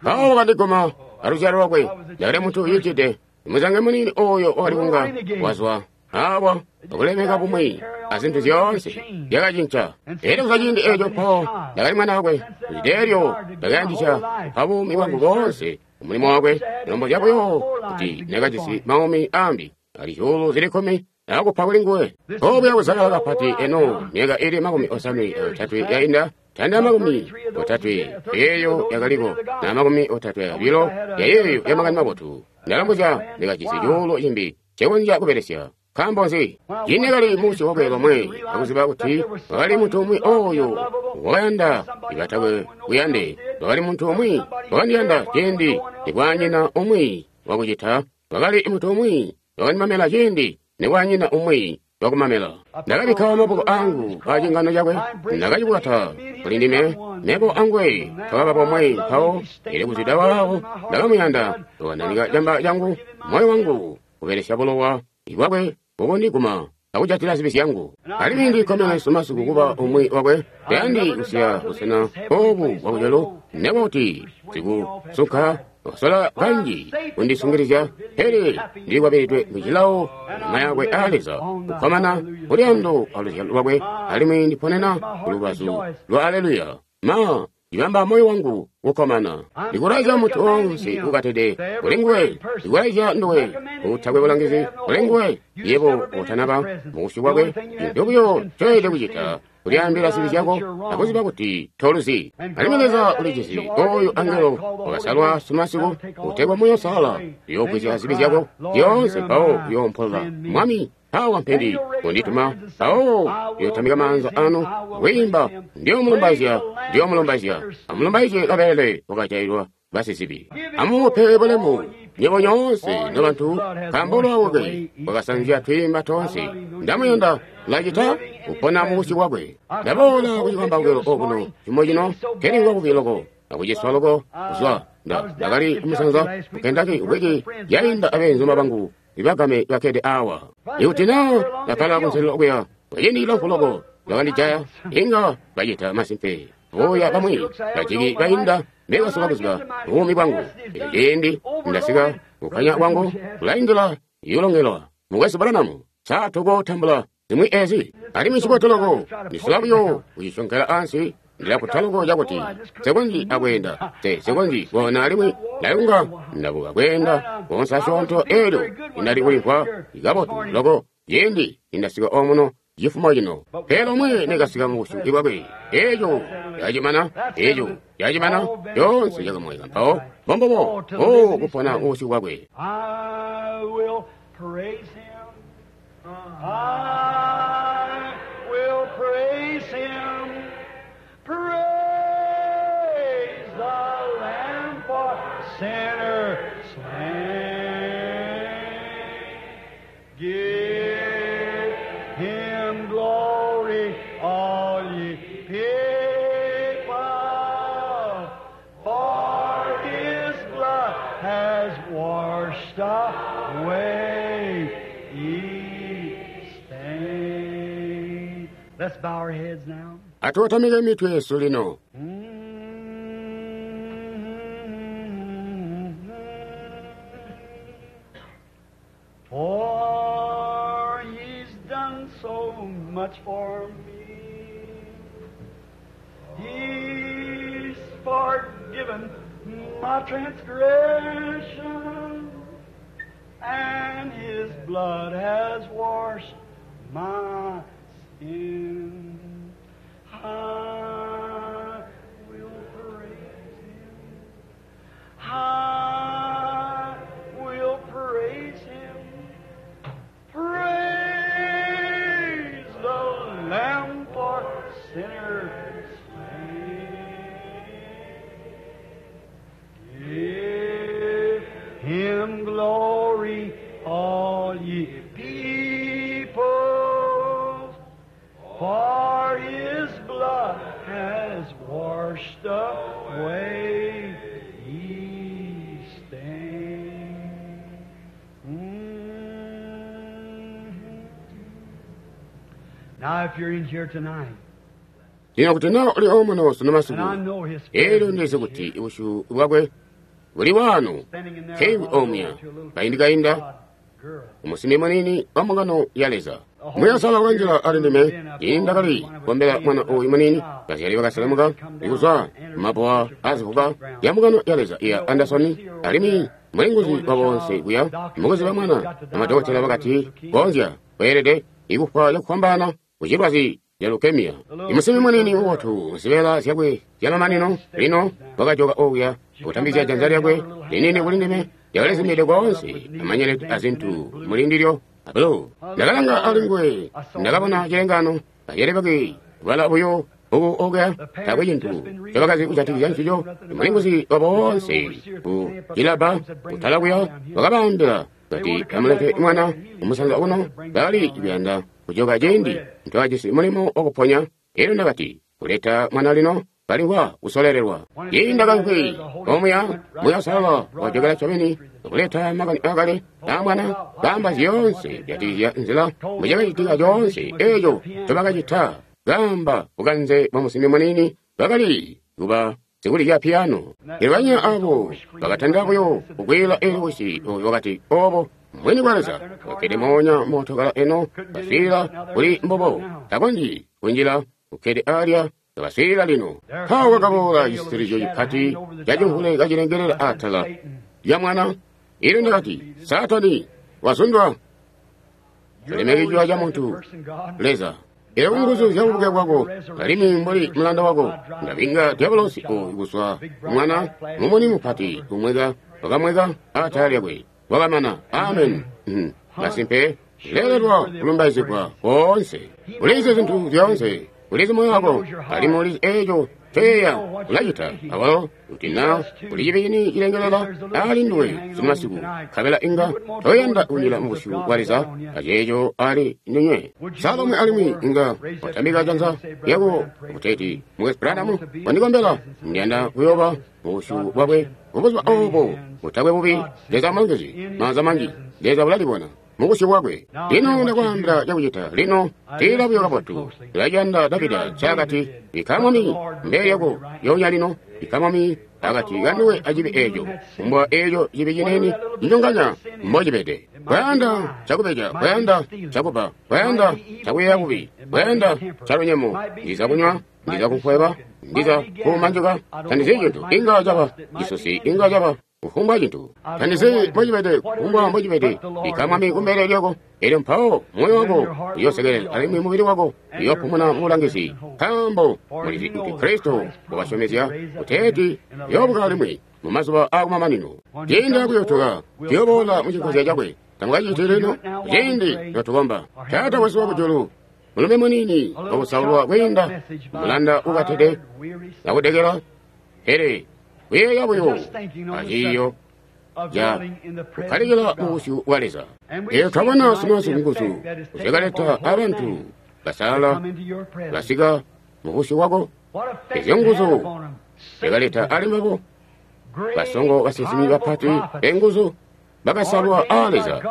S1: Mpawo wakandiguma aluzyalo lwakwe. Ndakali muntu ucicide, muzange muniini ooyo wakali kunga wazwa awa akulemeka bumwi azintu zyoonse zyakacinca. Elyo kuzwa ciindi eeco mpawo ndakali mwana wakwe. Kucita eelyo ndakayandisya kupa buumi bwangu boonse kumulimo wakwe. Lombozya buyo kuti ndakajisi maumi aambi ali 10,000 Akupa kuli nguwe. Obuya kuzakala kapati eno myaka ili 53 yainda, tanda 30 eyo yakaliko na 32 yayeeyo ya makani mabotu. Ndalambuzya ndikajisi cuulu cimbi ncekonzya kubelesya. Nkaambo nzi? Cine kali musi wakwe lomwe akuziba kuti wakali muntu umwi oyo wakayanda ibatakwe kuyande. Wakali muntu umwi wakandiyanda ciindi nikwanyina umwi wakucita. Wakali muntu umwi wakandimamela ciindi nikwanyina umwi wakumamela. Ndakabikka maboko angu pa cingano cakwe, ndakacibwata kuli ndime, mebo angwe twakaba bomwe. Mpawo ili kuzwida waawo ndakamuyanda, wakananika camba cangu, moyo wangu kubelesya bulowa bwakwe bukundiguma akujatila zibi zyangu. Alimwi ndikkomene sumasiku kuba umwi wakwe. Tayandi kusiya busena obu bwakujulu, nekuba kuti sikusunka wasola kanji kundisungilizya, pele ndilikwabilidwe mucilawo nyuma yakwe a Leza, kukkomana kuluyando aluzyalo lwakwe, alimwi ndiponena kulubazu lwa Aleluya. Ma ndibamba moyo wangu kukkomana. Ndikulaizya muntu onse ukatede kuli nguwe, ndikulaizya nduwe utakwe bulangizi kuli nguwe, yebo utanaba mubusyu bwakwe. Cintu buyo ncoelede kucita kulyaambila zibi zyako akuziba kuti toluzi. Alimwi Leza ulijizi oyo angelo wakasalwa sumasiku utegwa Moyo Salala uyoogwisya zibi zyako zyoonse, mpawo uyoompola. Mwami, awa mpendi kundituma, mpawo uyootambika maanza anu kwiimba, ndiyomulumbaizya, ndiyomulumbaizya. Amulumbaizye kabelele wakajailwa basizibi. Amumupe bulemu nyebo nyoonse nobantu, nkaambo lwakwe wakasanzya twiimba toonse. Ndamuyanda lacita kupona mubusyu bwakwe. Ndaboola kucikambawukilo okuno cimo cino, kelimvwa bubi loko akuciswa loko kuzwa ndakali kumusanza ku Kentucky wiki yainda abeenzuma bangu ibagame bakkede awa. Ikuti naa ndakkala kunselelo okuya kwaciindi cilamfu loko bakandijaya, inga bacita masimpe. Buya bamwi bajiki bainda mbekasola kuziba buumi bwangu. Eco ciindi ndasika kukkanya kwangu kulaindila yulongelwa. Mukwesu Branham, sa tukotambula zimwi ezi? Alimwi ncibotu loko ndisola buyo kucisonkela ansi. Ndilakuta loko cakuti nsekonzyi akweenda, nsekonzyi koona, alimwi ndayunga ndabuka kweenda koonse asyoonto. Eelyo indali kulimvwa kabotu loko ciindi nindasika omuno cifumo cino. Pele omwe nekasika mubusyu bwakwe, eeco cacimana, eeco cacimana, coonse cakamwaika. Mpawo mbombobo o kupona mubusyu bwakwe.
S2: I will praise him. I will praise him. Praise the Lamb for sinners slain. Give him glory, all ye people, for his blood has washed away each stain. Let's bow our heads now.
S1: Atuwatamike mitwe yesu lino.
S2: For he's done so much for me. He's forgiven my transgression, and his blood has washed my sin. I will praise him. I will praise him. Praise the Lamb for sinners slain. Give him glory, all ye people, for his blood has washed away each stain. Now, if you're in here tonight,
S1: Lino kuti naa uli omuno sunu
S2: and
S1: masiku,
S2: I know his
S1: eelyo
S2: presence
S1: ndizi
S2: is
S1: kuti
S2: here,
S1: ubusyu bwakwe buli wano
S2: standing in there
S1: keiwi
S2: a while ago
S1: omuya
S2: to a little
S1: kaindi kainda
S2: God girl.
S1: umusimbi munini wa mbungano ya Leza. Muya Salala wakanjila ali ndime, indakali kukombela mwana oyu munini. Bazyali bakaselemuka ikuzwa mabowa azivuka ya mbungano ya Leza iya Anderson, alimwi mulinguzi wa boonse kuya mukuziba mwana amadokotela bakati konzya. Weelede ikufwa cakufwambaana kucilwazi ca leukemia. Imusimbi muniini mubotu zibeela zyakwe zyamamanino lino wakajoka okuya kutambizya janza lyakwe liniini kuli ndime lyakalizimide koonse amanyeleti azintu muli ndilyo abalo. Ndakalanga ali nguwe, ndakabona cilengano, bazyali bakwe bala buyo bbuku okuya, taakwe cintu ncobakazi kujatikizya ncico. Mulinguzi wa boonse ku cilabba kutala kuya wakabaambila kati amulete mwana kumusanza kuno, bakali kuyanda kujoka ciindi ntwakajisi mulimo wakuponya. Elyo ndakati, kuleta mwana lino kalimvwa kusololelwa. Ciindi ndakaimvwi omuya, Muuya Uusalala wajokela ncobeni kuleta makani aakale aa mwana, kaamba zyoonse kujatikizya nzila mbucakacitika coonse eeco ncobakacita, kaamba bukanze bwa musimbi muniini bakali kuba sikulizya piyano. Elyo banyina abo bakatandila buyo kukwiila elyo wisi oyo wakati, Obo mbwini bwa Leza, ukkede moonya mootokala eno, kaswiilila kuli mbubo, takonzyi kunjila, ukkede alya kabaswiilila lino. Mpawo kwakaboola cisitilizyo cipati cacimvule kacilengelela atala lya mwana. Elyo ndakati, Saatani, wazundwa. Tulemekejwa ca muntu, Leza. Elyo ku nguzu zya bubuke bwako, alimwi mbuli mulanda wako, ndabinga dyabolosi oyu kuzwa ku mwana, mumuni mupati umweka wakamweka atala lyakwe. Wakamana. Amen. Masimpe, leelelwa kulumbaizigwa koonse. Ulizi zintu zyoonse. Ulizi moyo wako, alimwi ulizi eeco ncoyeeya ulacita. Awalo kuti na kuli cibi cini cilengelela ali nduwe sunu masiku, nkabela inga toyanda kunjila mu busyu bwa Leza aceeco ali ndinywe. Sa lomwe alimwi inga watambika janza lyako kuteeti, Mukwesu Branham, wandikombela, ndiyanda kuyooba mu busyu bwakwe mubuzuba obo butakwe bubi. Leza amulongezye. Maanza manji. Leza ulalibona mu busyu bwakwe. Lino ndakwaambila cakucita. Lino tiila buyo kabotu. Ulaciyanda Davida ncaakati, Bikka Mwami mbele lyako lyoonya lino. Bikka Mwami akati kanduwe acibi eeco. Kumbwa eeco cibi ciniini cinyonganya mbocibede. Kwayanda cakubeja, kwayanda cakubba, kwayanda cakuyeeya kubi, kwayanda calunyemo, ndiza kunywa, ndiza kufweba, ndiza kumanjuka, tandizi cintu. Inga caba cisusi, inga caba kufumbwa cintu. Tandizi mbocibede, kufumbwa mbocibede. Bikka Mwami kumbele lyako, elyo mpawo moyo wako uyoosekelela alimwi mubili wako uyoopumuna mubulangizi, nkaambo mulizi kuti Kristo wakasyomezya kuteeti uyoobuka alimwi mu mazuba aakumamanino. Ciindi akuyotoka, tuyooboola mu cinkozya cakwe. Tamukaciti lino, ciindi notukomba. Taata wesu wakujulu, mulume muniini wakusaulwa kwiinda mulanda ukatede akudekela, pele kuyeeya buyo aciiyo ca kukkalikila mu busyu bwa Leza. Elyo twabona sunu nguzu zyakaleta abantu basalala basika mu busyu bwako. Ezyo nguzu zyakaleta ali mbabo basongo, basinsimi bapati benguzu bakasalwa aa Leza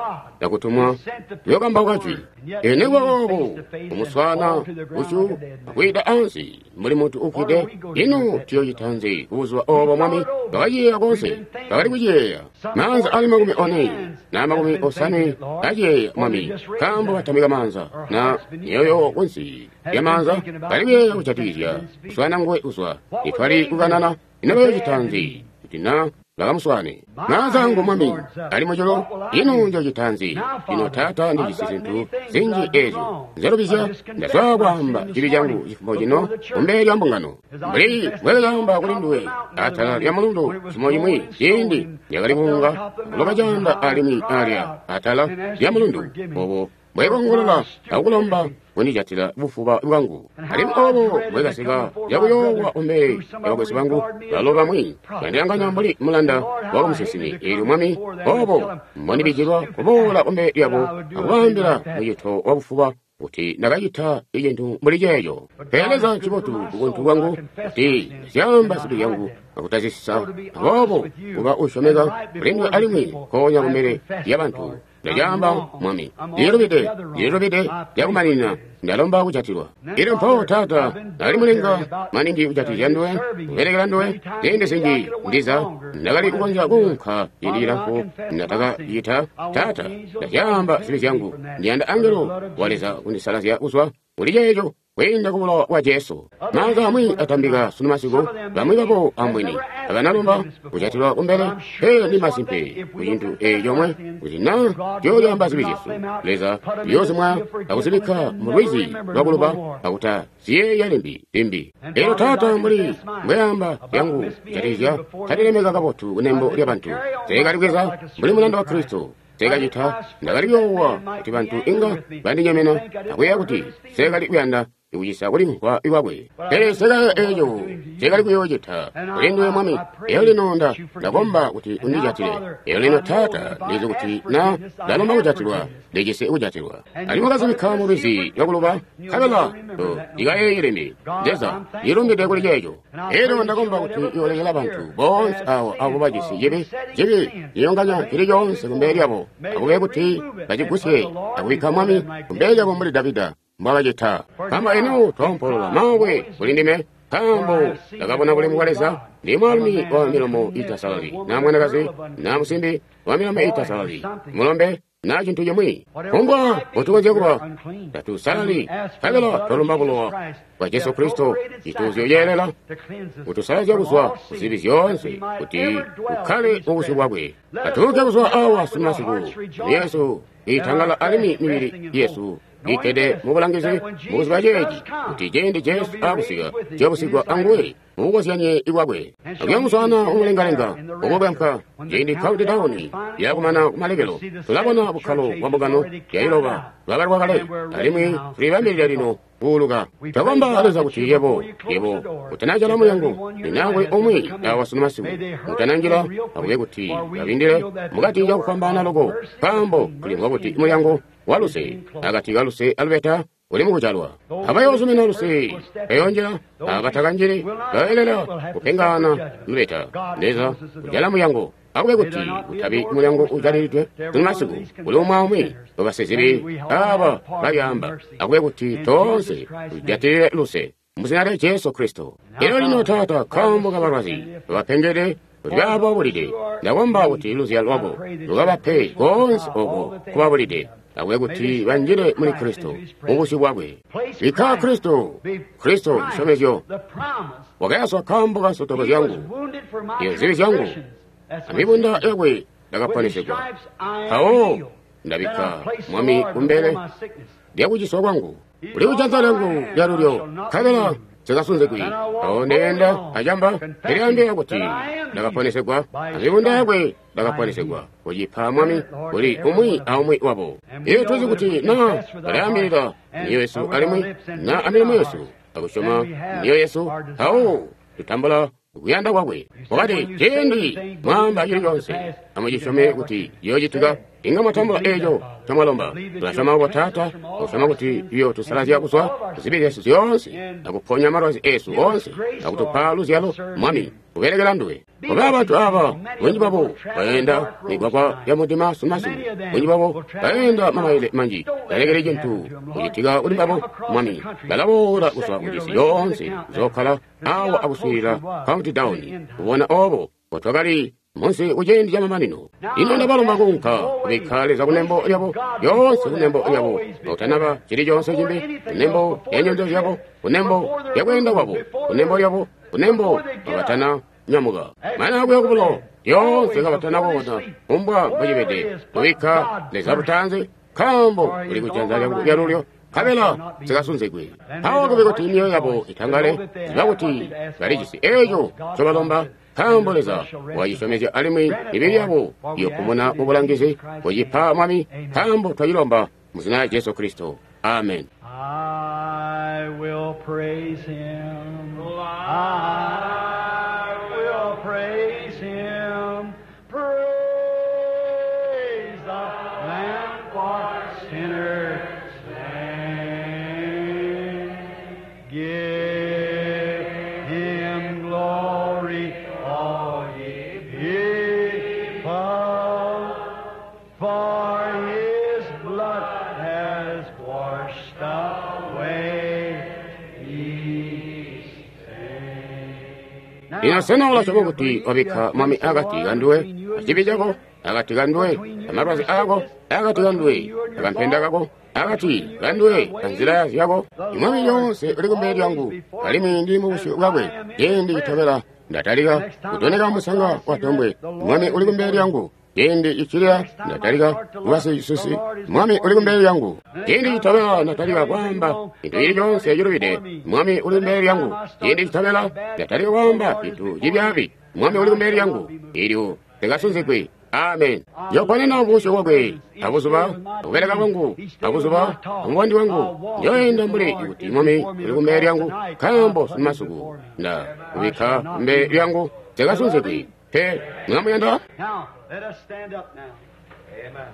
S1: akutumwa kuyokambauka jwi. Elyo nikuba boobo kumuswaana busyu akwiida ansi mbuli muntu uufwide, ino tuyoocita nzi kubuzuba oobo, Mwami? Twakaciyeeya koonse, twakali kuciyeeya. Maanza ali 40 na 50 aciyeeya, Mwami, nkaambo batamika maanza na myoyo kunsi lya maanza, bali kuyeeya kujatikizya kuswaana nguwe kuzwa nitwali kukanana. Ino bayoocita nzi kuti na bakamuswaane? Maanza angu, Mwami, ali mujulu, ino njoocita nzi? Lino, Taata, ndijisi zintu zinji ezyo nzelubizya. Ndazwa kwaamba cibi cangu cifumo cino kumbele lya mbungano, mbuli mbwelekaamba kuli nduwe atala lya mulundu cimo cimwi ciindi ndakali kuunga kuloka caanda alimwi alya atala lya mulundu, obo mbwekongolola akukulomba kundijatila bufuba bwangu, alimwi obo mbwekasika cakuyoowa kumbele lya bakwesu bangu, balo bamwi bandilanganya mbuli mulanda wakumusinsimi. Eelyo, Mwami, obo mbondibijilwa kuboola kumbele lyabo akubaambila mucito wabufuba kuti ndakacita icintu mbuli ceeco. Pele Leza ncibotu kubuntu bwangu kuti zyaamba zibi zyangu akutazisisa, aboobo kuba usyomeka kulinduwe alimwi nkoonya kumbele lyabantu. Ndacaamba, Mwami, ndililubide, ndililubide cakumaninina, ndalomba kujatilwa. Elyo mpawo, Taata, ndakali mulinga maningi kujatikizya nduwe, kubelekela nduwe, ziindi zinji ndiza ndakali kukonzya kuunka ciindi cilamfu ndatakacita. Taata, ndazyaamba zibi zyangu, ndiyanda angelo wa Leza kundisalazya kuzwa kuli ceeco. kwiinda ku bulowa bwa Jesu. Maanza amwi atambika sunu masiku, bamwi babo ambweni abanalomba kujatilwa kumbele, pele ndi masimpe ku cintu eeci comwe, kuti naa tuyoolyaamba zibi zyesu, Leza uyoozimwa akuzibikka mu lwizi lwakuluba akuta ziyeeya limbi limbi. Elyo Taata, mbuli mbweamba zyangu kujatikizya talilemeka kabotu kunembo lya bantu, nseekalibweza mbuli mulanda wa Kristo. Nseekacita, ndakali kuyoowa kuti bantu inga bandinyemena akuyeeya kuti nseekali kuyanda kucisa kulimvwa kwakwe. Pele nseekayeeya eeco nseekali kuyoocita kuli nduwe Mwami. Elyo lino ndakomba kuti undijatile. Elyo lino Taata, ndizi kuti naa ndalomba kujatilwa, ndijisi kujatilwa. Alimwi wakazibikka mu lwizi lwakuluba, nkabela ndikayeeye limbi. Leza, ndilumbide kuli ceeco. Elyo ndakomba kuti uyoolekela bantu boonse awo abo bajisi cibi, cibi cinyonganya cili coonse kumbele lyabo, akube kuti bacigusye akubikka Mwami kumbele lyabo mbuli Davida mbwakacita. Nkaambo eno twoompolola maawe kuli ndime, nkaambo ndakabona bulemu bwa Leza. Ndi mwaalumi wa milomo iitasalali, naa mwanakazi, naa musimbi wa milomo iitasalali, mulombe naa cintu cimwi. Kufumbwa mbotukonzya kuba, tatusalali, nkabela twalomba bulowa bwa Jesu Kristo, cituuzyo ceelela, kutusalazya kuzwa ku zibi zyoonse, kuti tukkale mu busyu bwakwe. Atuuke kuzwa awa sunu masiku, myoyo yesu iitangala alimwi mibili yesu ikkede mubulangizi mukuziba ceeci, kuti ciindi Jesu aakusika, tuyobusigwa anguwe mubukozyanye bwakwe. Akuyamuswaana mumulengalenga ukubwempa ciindi countdown yakumana kumalekelo, tulabona bukkalo bwa mbungano yailoba lwabalwa kale, alimwi tulibambilila lino kuuluka. Twakomba Leza kuti yebo utanajala mulyango, ninakwe umwi awa sunu masiku utananjila, akube kuti babindile mukati cakufwambaana loko, nkaambo tulimvwa kuti mulyango wa luse akati ka luse alubeta uli mukujalwa. Abayoozumina luse bayoonjila, abatakanjili bayoelela kupengaana lubeta. Leza kujala mulyango, akube kuti kutabi mulyango ujalilidwe sunu masiku kuli umwi aumwi wabasizibi aba balyaamba, akube kuti toonse tujatilile luse muzina lya Jesu Kristo. Elyo lino Taata, nkaambo kabalwazi babapengede kuti bababulide, ndakomba kuti luzyalo lwako lukabape koonse oko kubabulide, akube kuti banjile muli Kristo mubusyu bwakwe. Bikka Kristo, Kristo cisyomezyo, wakayaswa nkaambo ka nsotoko zyangu, iyo zibi zyangu, amibunda yakwe ndakaponesegwa. Mpawo ndabikka Mwami kumbele lyakuciswa kwangu, uli kujanza lyangu lyalulyo, nkabela nsikasungwi. Mpawo ndeenda acamba, ndilyaambila kuti ndakaponesegwa, amibunda yakwe ndakaponesegwa. Kucipa Mwami kuli umwi aumwi wabo. Iyo tuzi kuti naa balyaambilila myoyo yesu alimwi naa amilomo yesu akusyoma myoyo yesu, mpawo tutambula kuyanda kwakwe. Wakati, ciindi mwaamba cili coonse, amucisyome kuti ciyoocitika, inga mwatambula eeco ncomwalomba. Tulasyoma obo Taata, akusyoma kuti uyootusalazya kuzwa kuzibi zyesu zyoonse, akuponya malwazi eesu oonse, akutupa luzyalo, Mwami, kubelekela nduwe. Kuba bantu aba, bunji babo baenda migwagwa ya mudima sunu masiku, bunji babo baenda mamaile manji, balekele cintu kucitika kuli mbabo, Mwami. Balaboola kuzwa kucisi yoonse kuzookhala awa akuswiilila countdown, kubona obo mbotwakali munsi kuciindi camamanino. Ino ndabalomba kuunka kubikka Leza kunembo lyabo, lyoonse kunembo lyabo, akutanaba cili coonse cimbi, kunembo lya nyendo zyabo, kunembo lya kweenda kwabo, kunembo lyabo, kunembo kabatana nyamuka mana akuya kubulo, lyoonse kabatana koona, kumbwa mbocibede, kubikka Leza butanzi, nkaambo uli kujanza lyangu lyalulyo, nkabela nsikasungwi. Mpawo kube kuti myoyo yabo itangale, ziba kuti balijisi eeco ncobalomba, nkaambo Leza wacisyomezya, alimwi mibili yabo iyopumuna mubulangizi. Kucipa Mwami, nkaambo twacilomba muzina lya Jesu Kristo. Amen.
S2: I will praise him. I will praise him. Praise the Lamb for sinners slain. Give him glory, all ye people, for his blood has washed away his sin.
S1: Lino sena ulasyoma kuti wabikka Mwami akati kanduwe, acibi cako, akati kanduwe, amalwazi aako, akati kanduwe, akampenda kako, Akati kanduwe anzila zyako. Imwami lyoonse uli kumbele lyangu, alimwi ndili mubusyu bwakwe. Ciindi citobela ndatalika kutoneka musanga wa tombwe. Mwami uli kumbele lyangu. Ciindi cicilila ndatalika kuba sisusi. Mwami uli kumbele lyangu. Ciindi citobela ndatalika kwaamba cintu cili coonse cilubide. Mwami uli kumbele lyangu. Ciindi citobela ndatalika kwaamba cintu cibyaabi. Mwami uli kumbele lyangu. Elyo tekasunzigwi. Amen. Njoponena busyu bwakwe abuzuba akubeleka kwangu abuzuba amubandi wangu. Njoenda mbuli kuti Mwami uli kumbele lyangu, nkaambo sumasuku nda kubikka kumbele lyangu tekasunzigwi. Pe mulamuyanda?
S2: Now, let us stand up now. Amen.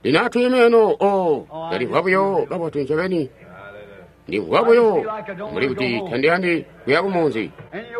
S1: Lino atwiime eno o ndalimvwa buyo kabotu ncobeni. Ndimvwa buyo mbuli kuti tandiyandi kuya kumunzi.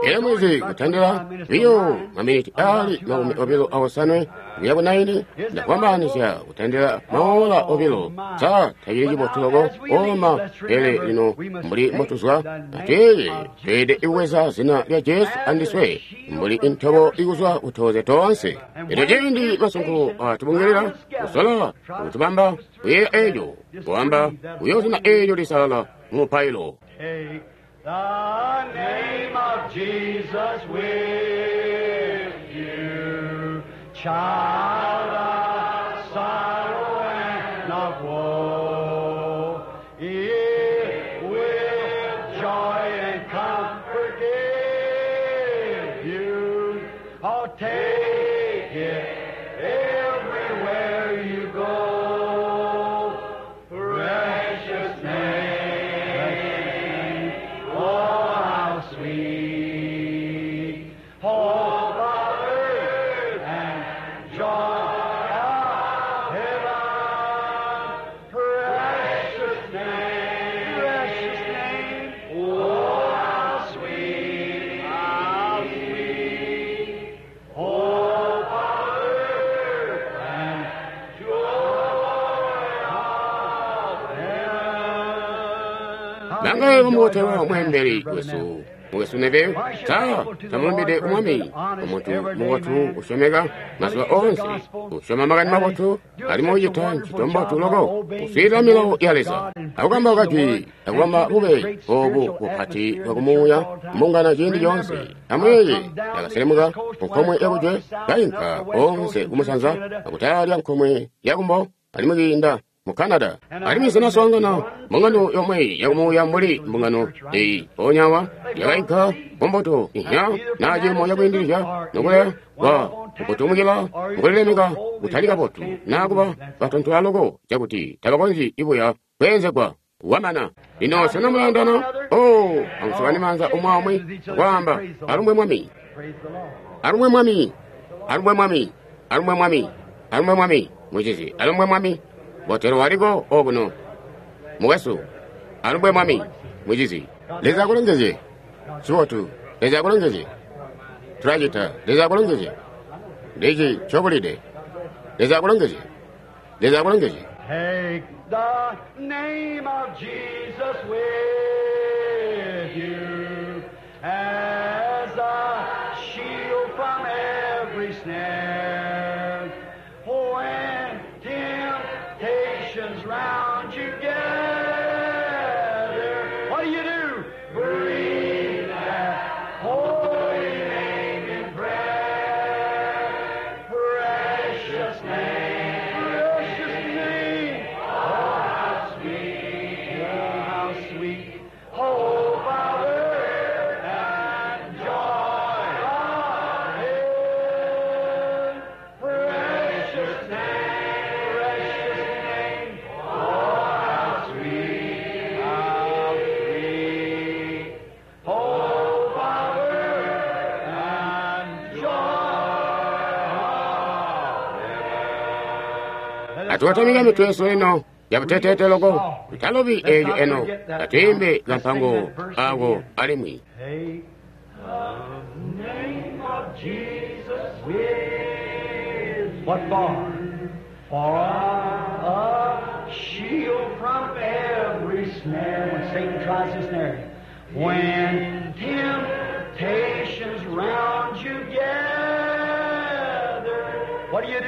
S1: Elyo mwizi kutandila biyo maminiti ali 29 kuya ku 9 ndakwambanisya kutandila maola 2. Sa tacili cibotu loko oma, pele lino mbuli mbotuzwa ateye tweelede kubweza zina lya Jesu andiswe mbuli intobo ikuzwa kutoze toonse. Elyo ciindi masunko atubungelela kusola kutubamba kuyeeya eeco kuamba kuyo zina eelyo lisalala mu mupailo.
S2: Take the name of Jesus with you, child of sorrow and of woe. It will joy and comfort give you. Oh, take it everywhere you go. Precious name, oh how sweet, hope of earth and joy of heaven. Precious name, oh how sweet, hope of earth and joy of heaven.
S1: Nangaye bamuwotewa omwembeli wesu mukwesu Neville sa tamulumbide umwami omuntu mubotu usyomeka mazuba onse usyoma makani mabotu alimwi ucita ncito mbotu loko uswiilila milawo ya Leza akukambauka jwi akubamba bube obu bupati bwakumuuya mbungano ciindi coonse. Amuyeeye ndakaselemuka kunkomwe yakujwe kainka onse kumusanza akutala nkomwe yakumbo alimwi kiinda mu Canada. Alimwi zinaswaangana mbungano yomwe yakumuuya mbuli mbungano eyi mpoonya yakainka kumbuto ihya na ciimo cakwiindilizya nokuleya kwa kutumukila mukulilemeka kutali kabotu naa kuba batontola loko cakuti tabakonzyi ibuya kweenzegwa wamana. Lino sena mulayandana? O amusukane maanza omwe aumwi akwaamba alumbwe Mwami,
S2: Praise the Lord.
S1: alumbwe Mwami, alumbwe Mwami, alumbwe Mwami, alumbwe Mwami, mucizi, alumbwe Mwami. Botelo waliko okuno mukwesu, alumbwe Mwami, mucizi. Leza akulongezye. Cibotu. Leza akulongezye. Tulacita. Leza akulongezye. Ndici ncobulide. Leza akulongezye. Leza akulongezye.
S2: Take the name of Jesus with you as a shield from every snare. When temptations round you gather, what do you do? Breathe that holy name in prayer. Precious name, precious name. Oh, how sweet, oh, how sweet. Hope of earth and joy of heaven. Precious name, precious name. Oh, how sweet, how sweet. Hope of earth and joy of heaven.
S1: Atuwatamika mitwe yesu eno yabuteteete loko tutalobi eeyo eno atuyimbe kampango ako alimwi.
S2: Take the name of Jesus with what for? For a shield from every snare when Satan tries to snare you. When temptations round you gather, what do you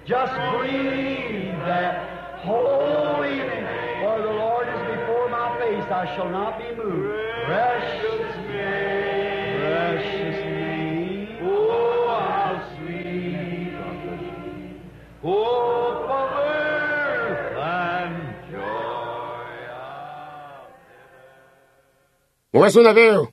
S2: Just breathe that holy name. For the Lord is before my face, I shall not be moved. Precious name, precious name. Oh, how sweet. Oh, comfort and joy.
S1: Mukasuna Veo.